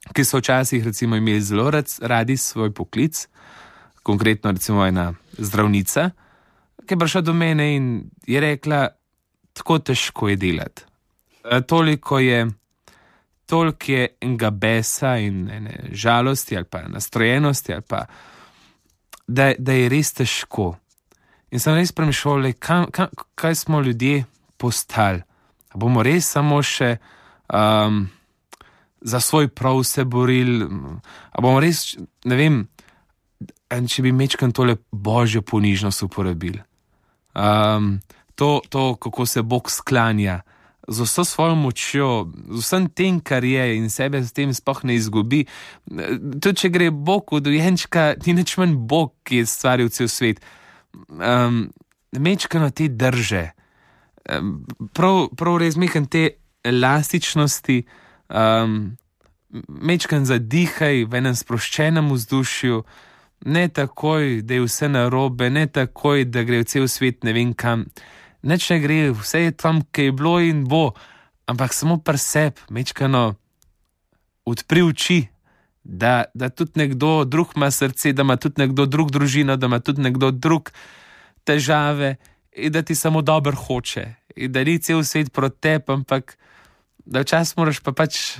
Speaker 2: ki so včasih recimo imeli zelo radi svoj poklic, konkretno recimo ena zdravnica, ki je prišla do mene in je rekla, tako težko je delati. Toliko je enega besa in ene žalosti ali pa nastrojenosti ali pa, da je res težko. In sem res premišljal, kaj smo ljudje postali. A bomo res samo še za svoj prav se borili, a bomo res, ne vem, če bi mečkan tole božjo ponižnost uporabili. To, kako se Bog sklanja, z vso svojo močjo, z vsem tem, kar je in sebe s tem sploh ne izgubi. Tudi, če gre Bog v dojenčka, ni nič manj Bog, ki je stvaril cel svet. Mečkano te drže. Prav res mečkan te elastičnosti, mečkan zadihaj v enem sproščenem vzdušju, ne takoj, da je vse narobe, ne takoj, da gre v cel svet ne vem kam. Nič ne gre, vse je tam, kaj je bilo in bo, ampak samo pri sebi, mečkano odpri oči, da tudi nekdo drug ima srce, da ima tudi nekdo drug družino, da ima tudi nekdo drug težave in da ti samo dobro hoče. In da ni cel svet proti tebi, ampak da včasih moraš pa pač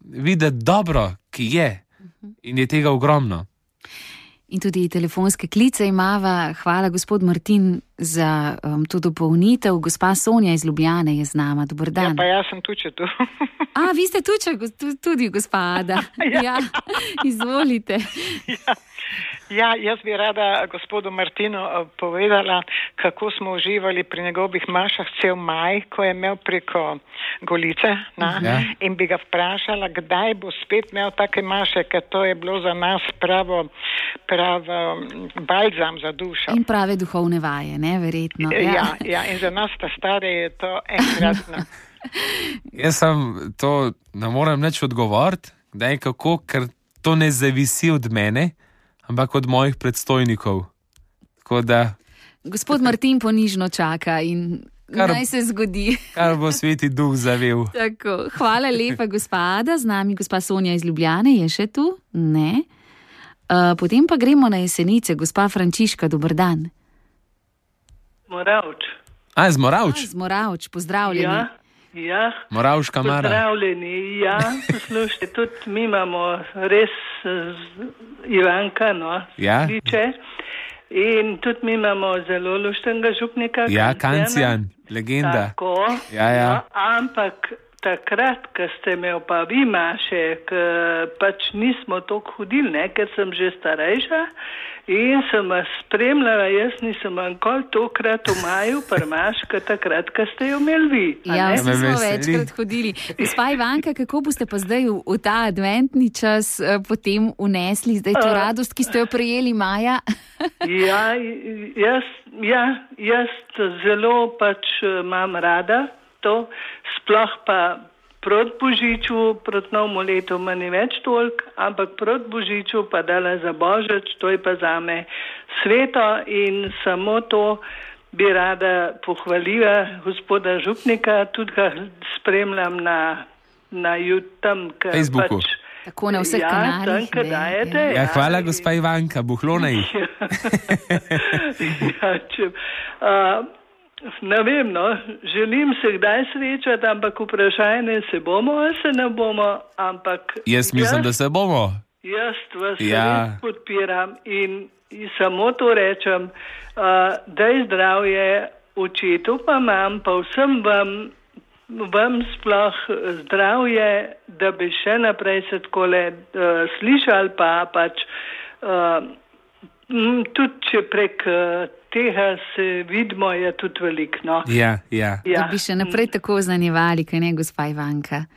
Speaker 2: videti dobro, ki je in je tega ogromno.
Speaker 1: In tudi telefonske klice imava. Hvala, gospod Martin, za to dopolnitev. Gospa Sonja iz Ljubljane je z nama. Dober dan.
Speaker 4: Ja, pa jaz sem tuče tu.
Speaker 1: Vi ste tuče, tudi gospa Ada. Ja, izvolite.
Speaker 4: Ja, jaz bi rada gospodu Martinu povedala, kako smo uživali pri njegovih mašah cel maj, ko je imel preko Golice, in bi ga vprašala, kdaj bo spet imel take maše, ker to je bilo za nas pravo balzam za dušo.
Speaker 1: In prave duhovne vaje, ne, verjetno.
Speaker 4: Ja, in za nas ta stare je to enkratno.
Speaker 2: Jaz sem to, ne morem nič odgovoriti, kdaj kako, ker to ne zavisi od mene, ampak od mojih predstojnikov. Tako da...
Speaker 1: Gospod Martin ponižno čaka in naj se zgodi.
Speaker 2: Kar bo sveti duh zavel.
Speaker 1: Tako, hvala lepa, gospa Ada. Z nami gospa Sonja iz Ljubljane je še tu? Ne. Potem pa gremo na Jesenice. Gospa Frančiška, dober dan.
Speaker 5: Moravč.
Speaker 2: Z Moravč?
Speaker 1: Z Moravč, pozdravljeni.
Speaker 5: Ja.
Speaker 2: Moravška Mara.
Speaker 5: Pozdravljeni, ja. Poslušajte, tudi mi imamo res Ivanka, liče. In tudi mi imamo zelo luštnega župnika.
Speaker 2: Ja, Kancijan, legenda.
Speaker 5: Tako.
Speaker 2: Ja.
Speaker 5: Ampak takrat, ko ste imel pa vi maše, pač nismo toliko hodili, ne, ker sem že starejša in sem vas spremljala, jaz nisem ankoli tokrat v maju prmaška takrat, ko ste jo imeli vi.
Speaker 1: Ja, vsi smo večkrat hodili. Gospa Ivanka, kako boste pa zdaj v ta adventni čas potem unesli zdaj to radost, ki ste jo prejeli maja?
Speaker 5: Jaz zelo pač imam rada to, sploh pa proti Božiču, proti novemu letu ma ni več toliko, ampak proti Božiču pa dala za Božič, to je pa zame sveto in samo to bi rada pohvalila gospoda župnika, tudi ga spremljam na YouTube,
Speaker 2: Facebooku.
Speaker 5: Pač,
Speaker 1: tako na vseh kanalih.
Speaker 2: Hvala, gospa Ivanka, buhlona jih.
Speaker 5: Ne vem, no, želim se kdaj srečati, ampak vprašanje se bomo, ali se ne bomo, ampak...
Speaker 2: Jaz mislim, da se bomo.
Speaker 5: Jaz vas res podpiram in samo to rečem, daj zdravje očetu pa mam, pa vsem vam sploh zdravje, da bi še naprej se takole slišali, pa pač tudi če prek tega se vidimo, je tudi veliko. No?
Speaker 2: Ja.
Speaker 1: Da bi še naprej tako oznanjevali, kaj ne, gospa Ivanka.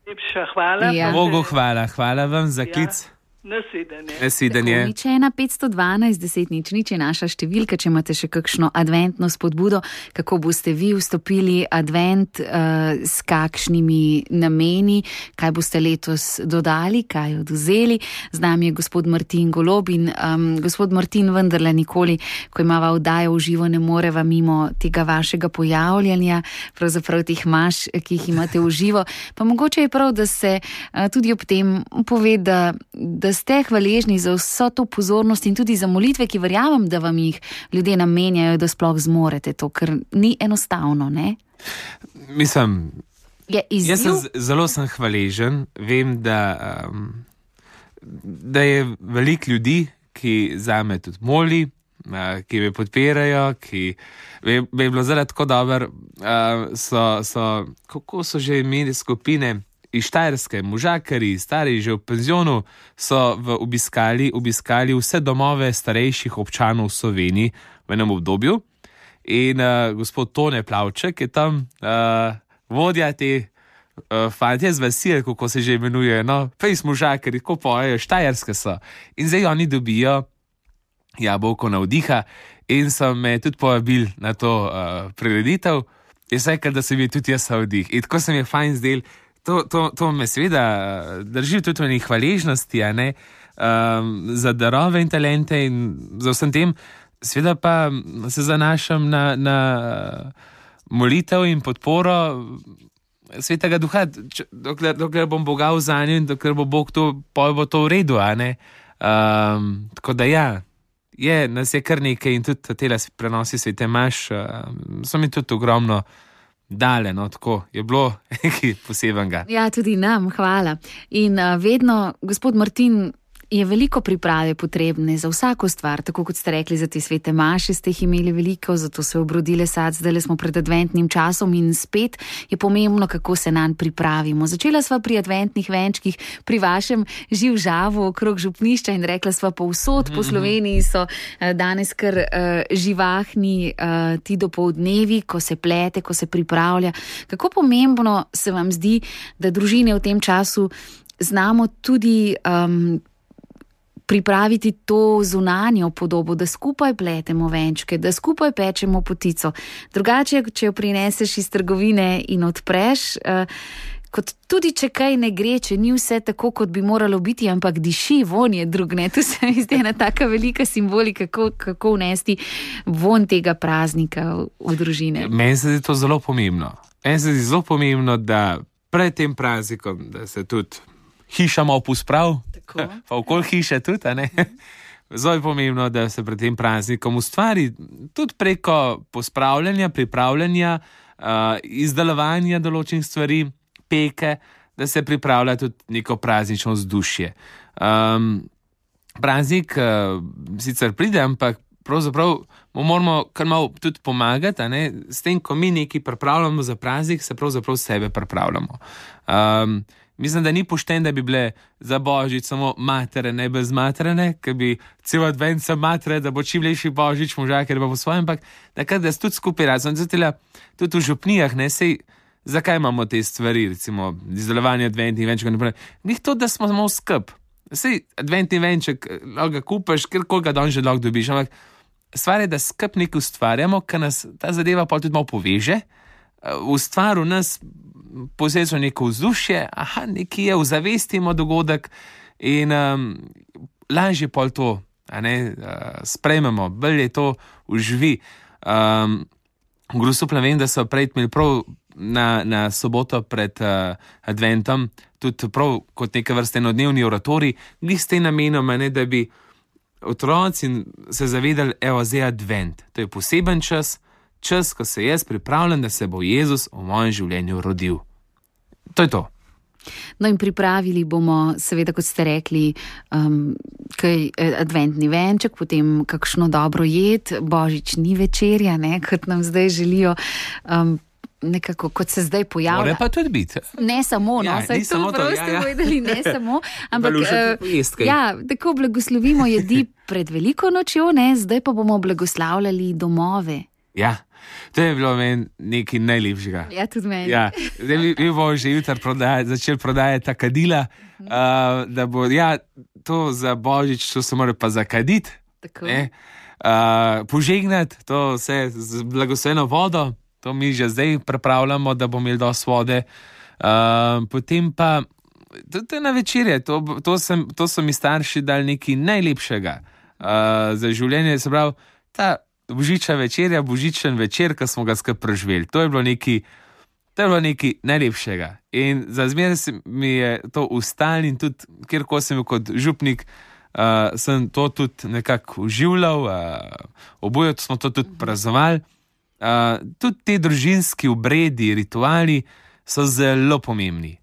Speaker 5: Lepša hvala.
Speaker 2: Bogu hvala vam za klic.
Speaker 5: Nasvidenje.
Speaker 1: Nič 1 512 10 nič je naša številka, če imate še kakšno adventno spodbudo, kako boste vi vstopili advent, s kakšnimi nameni, kaj boste letos dodali, kaj odvzeli. Z nami je gospod Martin Golob in gospod Martin, vendarle nikoli, ko imava oddajo v živo, ne moreva mimo tega vašega pojavljanja, pravzaprav teh maš, ki jih imate v živo. Pa mogoče je prav, da se tudi ob tem pove, da ste hvaležni za vso to pozornost in tudi za molitve, ki verjamem, da vam jih ljudje namenjajo, da sploh zmorete to, ker ni enostavno, ne?
Speaker 2: Mislim, jaz zelo sem hvaležen, vem, da je veliko ljudi, ki zame tudi moli, ki me podpirajo, ki bi bilo zelo tako dobro, kako so že imeli skupine iz Štajerske, možakari, stari že v penzionu, so obiskali vse domove starejših občanov v Sloveniji v enem obdobju. In gospod Tone Plavček je tam vodja te fantje z vasi, kako se že imenuje, no, fejs možakari, ko pojejo, Štajerske so. In zdaj oni dobijo jabolko navdiha in so me tudi povabili na to prireditev. Jaz rekel, da se mi tudi jaz navdih. In tako se mi je fajn zdel. To me seveda drži tudi v njih hvaležnosti, za darove in talente in za vsem tem. Seveda pa se zanašam na molitev in podporo Svetega Duha, dokler bom Boga vzanil in dokler bo Bog to, bo to v redu, tako da nas je kar nekaj in tudi tele prenosi svete maš, so mi tudi ogromno dale, no, tako je bilo nekaj posebenega.
Speaker 1: Ja, tudi nam, hvala. In vedno, gospod Martin, je veliko priprave potrebne za vsako stvar, tako kot ste rekli, za te svete maše ste jih imeli veliko, zato se obrodile sad, zdaj smo pred adventnim časom in spet je pomembno, kako se nanj pripravimo. Začela sva pri adventnih venčkih, pri vašem živžavu okrog župnišča in rekla sva povsod po Sloveniji so danes kar živahni ti dopoldnevi, ko se plete, ko se pripravlja. Kako pomembno se vam zdi, da družine v tem času znamo tudi pripraviti to zunanjo podobo, da skupaj pletemo venčke, da skupaj pečemo potico. Drugače, če jo prineseš iz trgovine in odpreš, kot tudi če kaj ne gre, če ni vse tako, kot bi moralo biti, ampak diši, von je drug, ne? To se mi zdi ena taka velika simbolika, kako vnesti von tega praznika v družine.
Speaker 2: Meni se zdi to zelo pomembno. Meni se zdi zelo pomembno, da pred tem praznikom, da se tudi hiša malo posprav, pa okoli hiše tudi, ne? Zelo je pomembno, da se pred tem praznikom ustvari tudi preko pospravljanja, pripravljanja, izdelovanja določenih stvari, peke, da se pripravlja tudi neko praznično vzdušje. Praznik sicer pride, ampak pravzaprav mu moramo kar malo tudi pomagati, s tem, ko mi nekaj pripravljamo za praznik, se pravzaprav sebe pripravljamo. Mislim, da ni pošten, da bi bile za Božič samo materine, brez materine, ker bi cel advent sem matere, da bo čim lepši Božič, možakar pa po svojem, ampak da se tudi skupaj razum. Tudi v župnijah, zakaj imamo te stvari, recimo izdelovanje adventnih venčkov, njih to, da smo samo skup. Sej adventni venček, lahko ga kupaš, kjerkoli ga danes že lahko dobiš, ampak stvar je, da skup nekaj ustvarjamo, ker nas ta zadeva pa tudi malo poveže, ustvari v nas posebno neko vzdušje, nekaj je, ozavestimo dogodek in lažje pol to, sprejmemo, bolje to uživi. Grosupno vem, da so prej imeli prav na soboto pred adventom, tudi prav kot neke vrste enodnevni oratorij, glih s tem namenom, da bi otroci se zavedali, evo, zdaj advent. To je poseben čas, ko se jaz pripravljam, da se bo Jezus v mojem življenju rodil. To je to.
Speaker 1: No in pripravili bomo, seveda, kot ste rekli, adventni venček, potem kakšno dobro jed, božični večerja, kot nam zdaj želijo, nekako, kot se zdaj pojavlja.
Speaker 2: More pa tudi biti.
Speaker 1: Ne samo, saj to prav ste povedali, ne samo, ampak tako blagoslovimo jedi pred veliko nočjo, zdaj pa bomo blagoslavljali domove.
Speaker 2: Ja, to je bilo meni nekaj najlepšega.
Speaker 1: Ja, tudi meni.
Speaker 2: Ja, zdaj mi bomo že jutri začeli prodajati ta kadila, da bo, to za Božič, to se mora pa zakaditi, požegnati, to vse z blagosloveno vodo, to mi že zdaj pripravljamo, da bomo imeli dosti vode. Potem pa, to je na večerje, to so mi starši dali nekaj najlepšega za življenje, se pravi, ta božična večerja, božičen večer, ki smo ga skupaj preživeli. To je bilo nekaj najlepšega. In za zmeraj mi je to ustalo in tudi, kjerkoli sem bil kot župnik, sem to tudi nekako uživljal, oboje smo to tudi praznovali. Tudi te družinski obredi, rituali so zelo pomembni.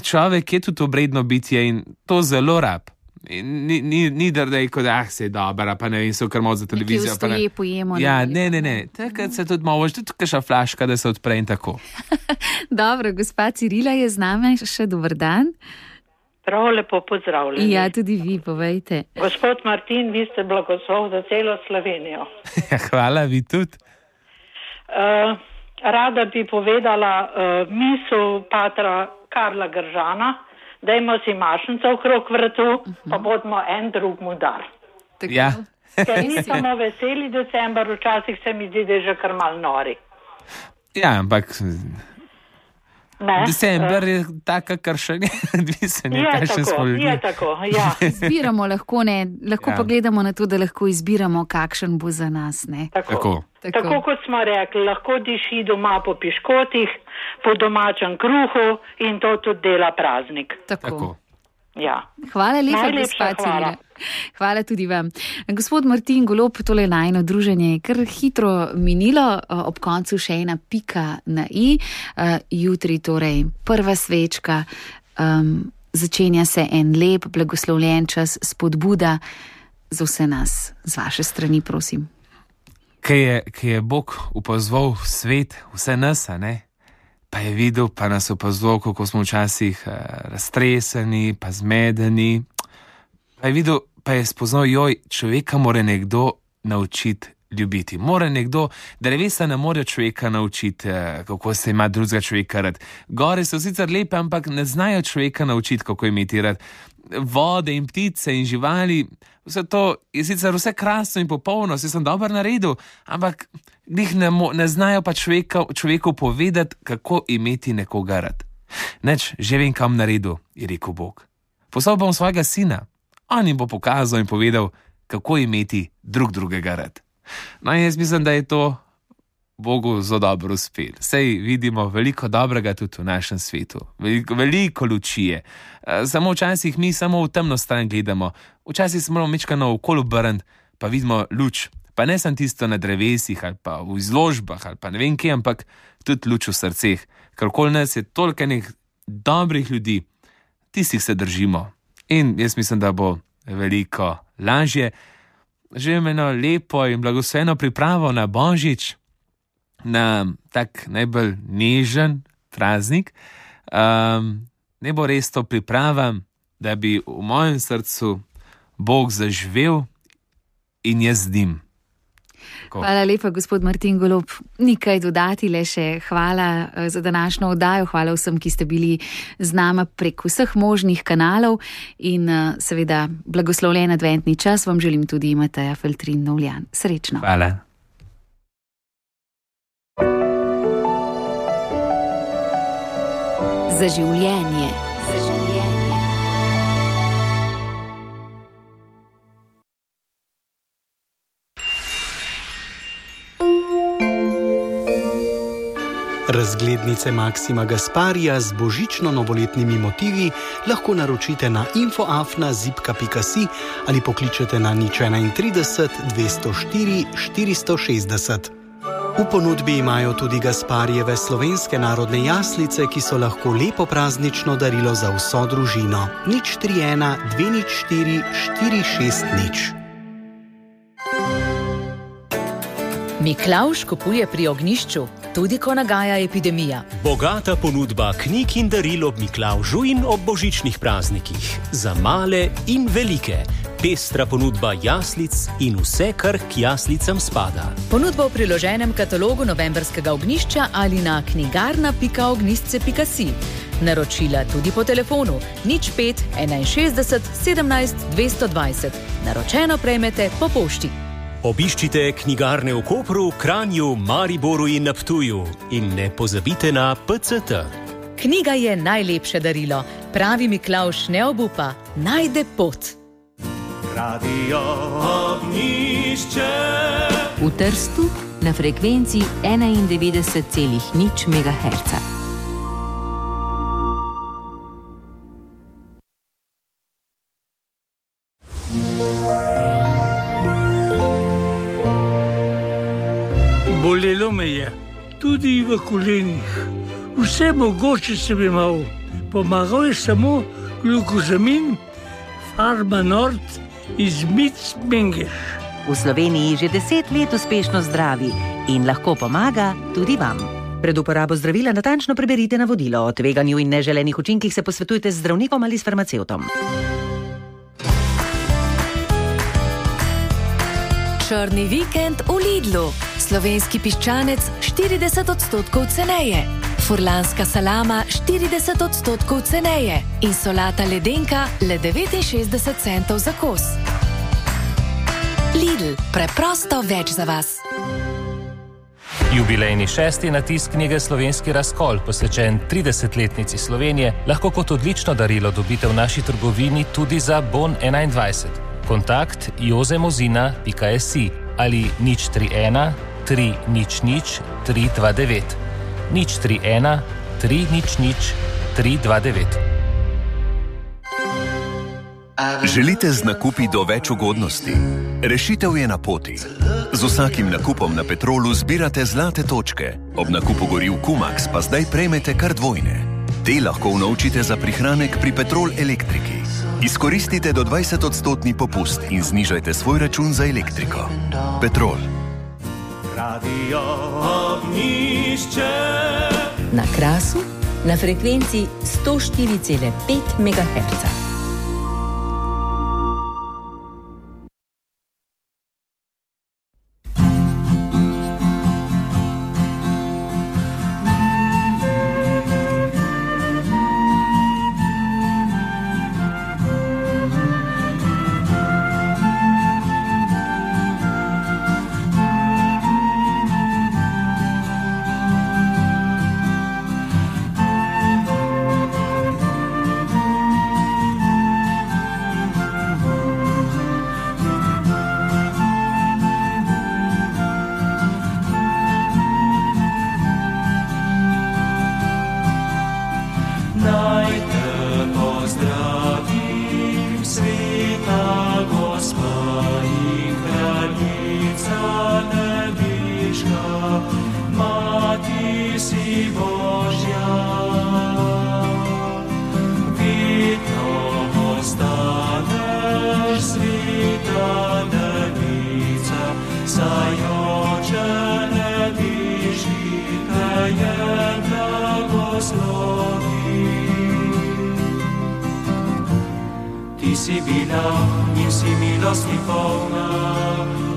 Speaker 2: Človek je tudi obredno bitje in to zelo rab. Ni da je kot, se je dobra, pa ne vem, so kar malo za televizijo.
Speaker 1: Nekaj vstoje pojemo.
Speaker 2: Ja, ne. Takrat se tudi malo, tudi kakšna flaška, da se odpre in tako.
Speaker 1: Dobro, gospa Cirila je z nami, še dober dan.
Speaker 6: Prav lepo pozdravljeni.
Speaker 1: Ja, tudi vi, povejte.
Speaker 6: Gospod Martin, vi ste blagoslov za celo Slovenijo.
Speaker 2: Hvala, vi tudi.
Speaker 6: Rada bi povedala misel patra Karla Gržana, dajmo si mašnico okrog vratu, pa bodimo en drugmu dar.
Speaker 2: Ja.
Speaker 6: Ker ni samo veseli december, včasih se mi zdi, da je že kar mal nori.
Speaker 2: Ja, ampak december je taka, kar še ne,
Speaker 6: je tako, ja.
Speaker 1: Izbiramo lahko, pa gledamo na to, da lahko izbiramo, kakšen bo za nas, ne.
Speaker 2: Tako
Speaker 6: kot smo rekli, lahko diši doma po piškotih, po domačem kruhu in to tudi dela praznik.
Speaker 2: Tako.
Speaker 6: Ja.
Speaker 1: Hvala lepa, gospa Cirila. Hvala tudi vam. Gospod Martin Golob, tole najino druženje je kar hitro minilo, ob koncu še ena pika na i. Jutri torej prva svečka, začenja se en lep, blagoslovljen čas, spodbuda za vse nas. Z vaše strani, prosim.
Speaker 2: Kaj je Bog upozval svet, vse nas, pa je videl, pa nas opazval, kako smo včasih raztreseni, pa zmedeni. Pa je videl, pa je spoznal, človeka mora nekdo naučiti ljubiti. Mora nekdo, drevesa ne more človeka naučiti, kako se ima drugega človeka rad. Gore so sicer lepe, ampak ne znajo človeka naučiti, kako imeti rad. Vode in ptice in živali, vse to je sicer vse krasno in popolno, vse sem dobro naredil, ampak njih ne znajo pa človeku povedati, kako imeti nekoga rad. Že vem, kam naredil, je rekel Bog. Poslal bom svojega sina, on jim bo pokazal in povedal, kako imeti drugega rad. No in jaz mislim, da je to Bogu zelo dobro uspel. Sej vidimo veliko dobrega tudi v našem svetu. Veliko luči je. Samo včasih mi samo v temno stran gledamo. Včasih se moramo mečkano okoli obrniti, pa vidimo luč. Pa ne samo tisto na drevesih ali pa v izložbah ali pa ne vem kje, ampak tudi luč v srceh. Ker okoli nas je toliko enih dobrih ljudi, tistih se držimo. In jaz mislim, da bo veliko lažje. želim eno lepo in blagosloveno pripravo na Božič, na tak najbolj nežen praznik. Ne bo res to priprava, da bi v mojem srcu Bog zaživel in jaz z njim.
Speaker 1: Hvala lepa, gospod Martin Golob. Nikaj dodati, le še hvala za današnjo oddajo. Hvala vsem, ki ste bili z nama prek vseh možnih kanalov in seveda blagoslovljen adventni čas vam želim tudi Mateja Feltrin Novljan. Srečno.
Speaker 2: Hvala.
Speaker 1: Za življenje.
Speaker 7: Razglednice Maksima Gasparija z božično-novoletnimi motivi lahko naročite na info@zipka.si ali pokličete na 031 204 460. V ponudbi imajo tudi Gasparijeve slovenske narodne jaslice, ki so lahko lepo praznično darilo za vso družino. 031 204 460.
Speaker 8: Miklavž kupuje pri ognjišču, tudi ko nagaja epidemija.
Speaker 9: Bogata ponudba knjig in daril ob Miklavžu in ob božičnih praznikih. Za male in velike. Pestra ponudba jaslic in vse, kar k jaslicam spada.
Speaker 8: Ponudba v priloženem katalogu novemberskega ognjišča ali na knjigarna.ognjišče.si. Naročila tudi po telefonu 05 61 17 220. Naročeno prejmete po pošti.
Speaker 9: Obiščite knjigarne v Kopru, Kranju, Mariboru in na Ptuju in ne pozabite na PCT.
Speaker 8: Knjiga je najlepše darilo. Pravi Miklavž ne obupa, najde pot.
Speaker 10: Radio Ognjišče.
Speaker 11: V Trstu na frekvenci 91,0 MHz.
Speaker 12: Bolelo me je, tudi v kolenih. Vse mogoče sem imel. Pomagal je samo glukozamin, Farma Nord iz Mengeš.
Speaker 13: V Sloveniji že 10 let uspešno zdravi in lahko pomaga tudi vam.
Speaker 14: Pred uporabo zdravila natančno preberite navodilo. O tveganju in neželenih učinkih se posvetujte z zdravnikom ali s farmacevtom.
Speaker 15: Črni vikend v Lidlu. Slovenski piščanec 40% ceneje. Furlanska salama 40% ceneje. In solata ledenka le 69 centov za kos. Lidl, preprosto več za vas.
Speaker 16: Jubilejni 6. natisk knjige Slovenski razkol, posvečen 30-letnici Slovenije, lahko kot odlično darilo dobite v naši trgovini tudi za bon 21. Kontakt jozemozina.si ali 031 300 329. 031 300 329.
Speaker 17: Želite z nakupi do več ugodnosti? Rešitev je na poti. Z vsakim nakupom na Petrolu zbirate zlate točke. Ob nakupu goriv Kumax pa zdaj prejmete kar dvojne. Te lahko unovčite za prihranek pri Petrol elektriki. Izkoristite do 20% popust in znižajte svoj račun za elektriko. Petrol.
Speaker 10: Radio Ognjišče.
Speaker 11: Na Krasu na frekvenci 104,5 MHz.
Speaker 10: Ostaneš sveta, ne bi višji te je blagoslovi. Ti si bila in si milosti polna,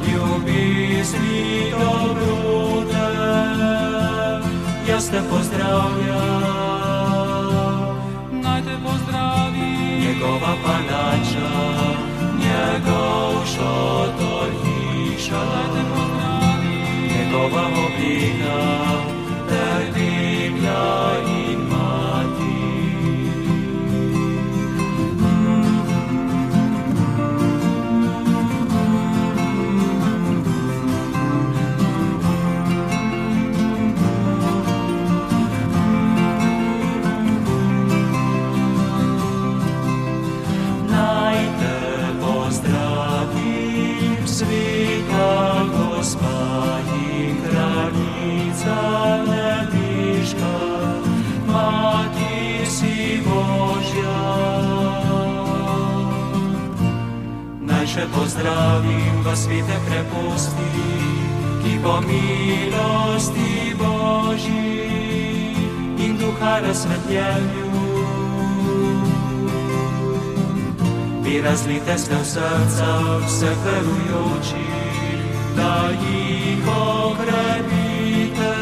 Speaker 10: ljubezni dobrote. Jaz te pozdravljam,
Speaker 18: naj te pozdravi
Speaker 10: njegova palača, njegov šotor hiša,
Speaker 18: naj te pozdravi
Speaker 10: njegova oblika, ter divja in mati. Sveta Gospa in kraljica nebeška, Mati si Božja. Naj še pozdravim vas svete kreposti, ki po milosti Božji in duha razsvetljenju vi razlite ste v srca vseh verujočih, da jih okrepite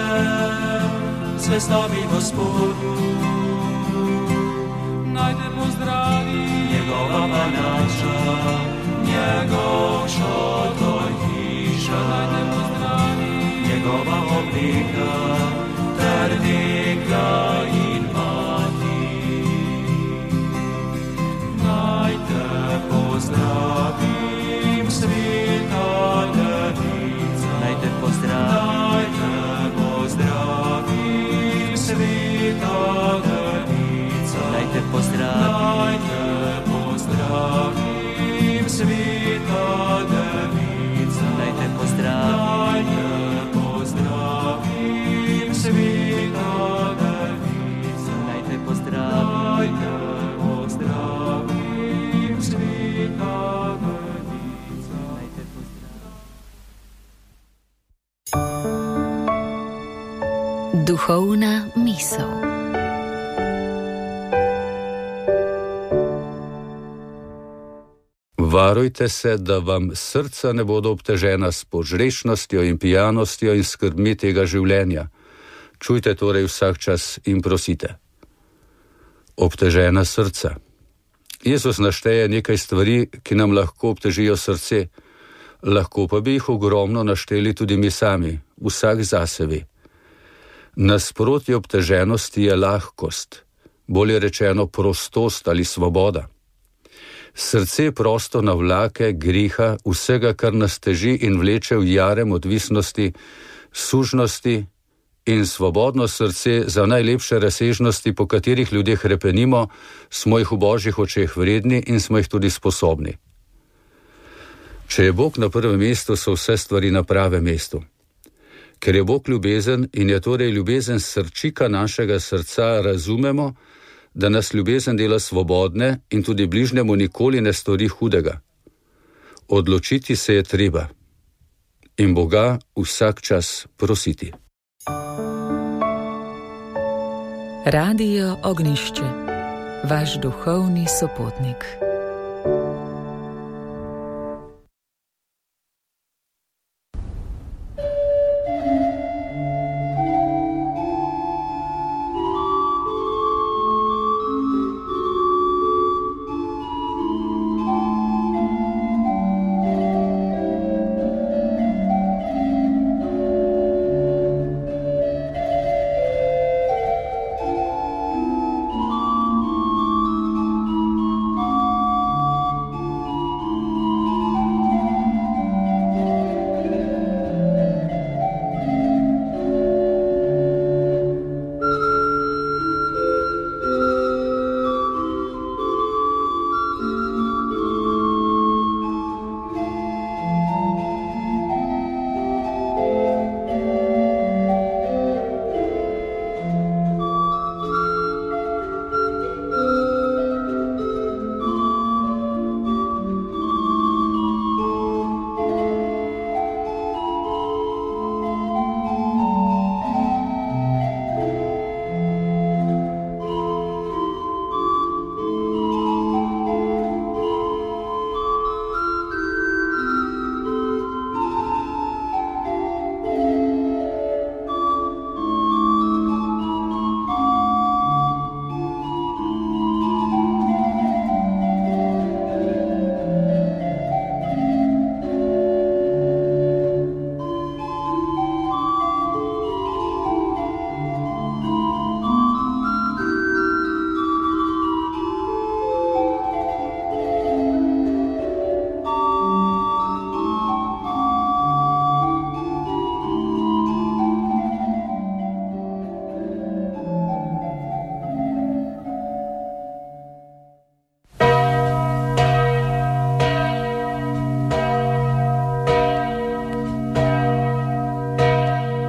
Speaker 10: zvestobi Gospodu.
Speaker 18: Naj te pozdravi
Speaker 10: njegova palača, njegov šotor hiša,
Speaker 18: naj te pozdravi
Speaker 10: njegova oblika, ter dekla in mati. Naj te pozdravim, sveta devica. Naj te pozdravim, sveta devica. Naj te pozdravim, sveta devica. Naj te pozdravim, sveta devica. Naj te pozdravim,
Speaker 15: Duhovna misel.
Speaker 19: Varujte se, da vam srca ne bodo obtežena s požrešnostjo in pijanostjo in skrbmi tega življenja. Čujte torej vsak čas in prosite. Obtežena srca. Jezus našteje nekaj stvari, ki nam lahko obtežijo srce. Lahko pa bi jih ogromno našteli tudi mi sami, vsak zase. Nasprotje obteženosti je lahkost, bolje rečeno prostost ali svoboda. Srce prosto navlake griha, vsega, kar nas teži in vleče v jarem odvisnosti, sužnosti, in svobodno srce za najlepše razsežnosti, po katerih ljudje hrepenimo, smo jih v Božjih očeh vredni in smo jih tudi sposobni. Če je Bog na prvem mestu, so vse stvari na pravem mestu. Ker je Bog ljubezen in je torej ljubezen srčika našega srca, razumemo, da nas ljubezen dela svobodne in tudi bližnjemu nikoli ne stori hudega. Odločiti se je treba in Boga vsak čas prositi.
Speaker 8: Radio Ognjišče, vaš duhovni sopotnik.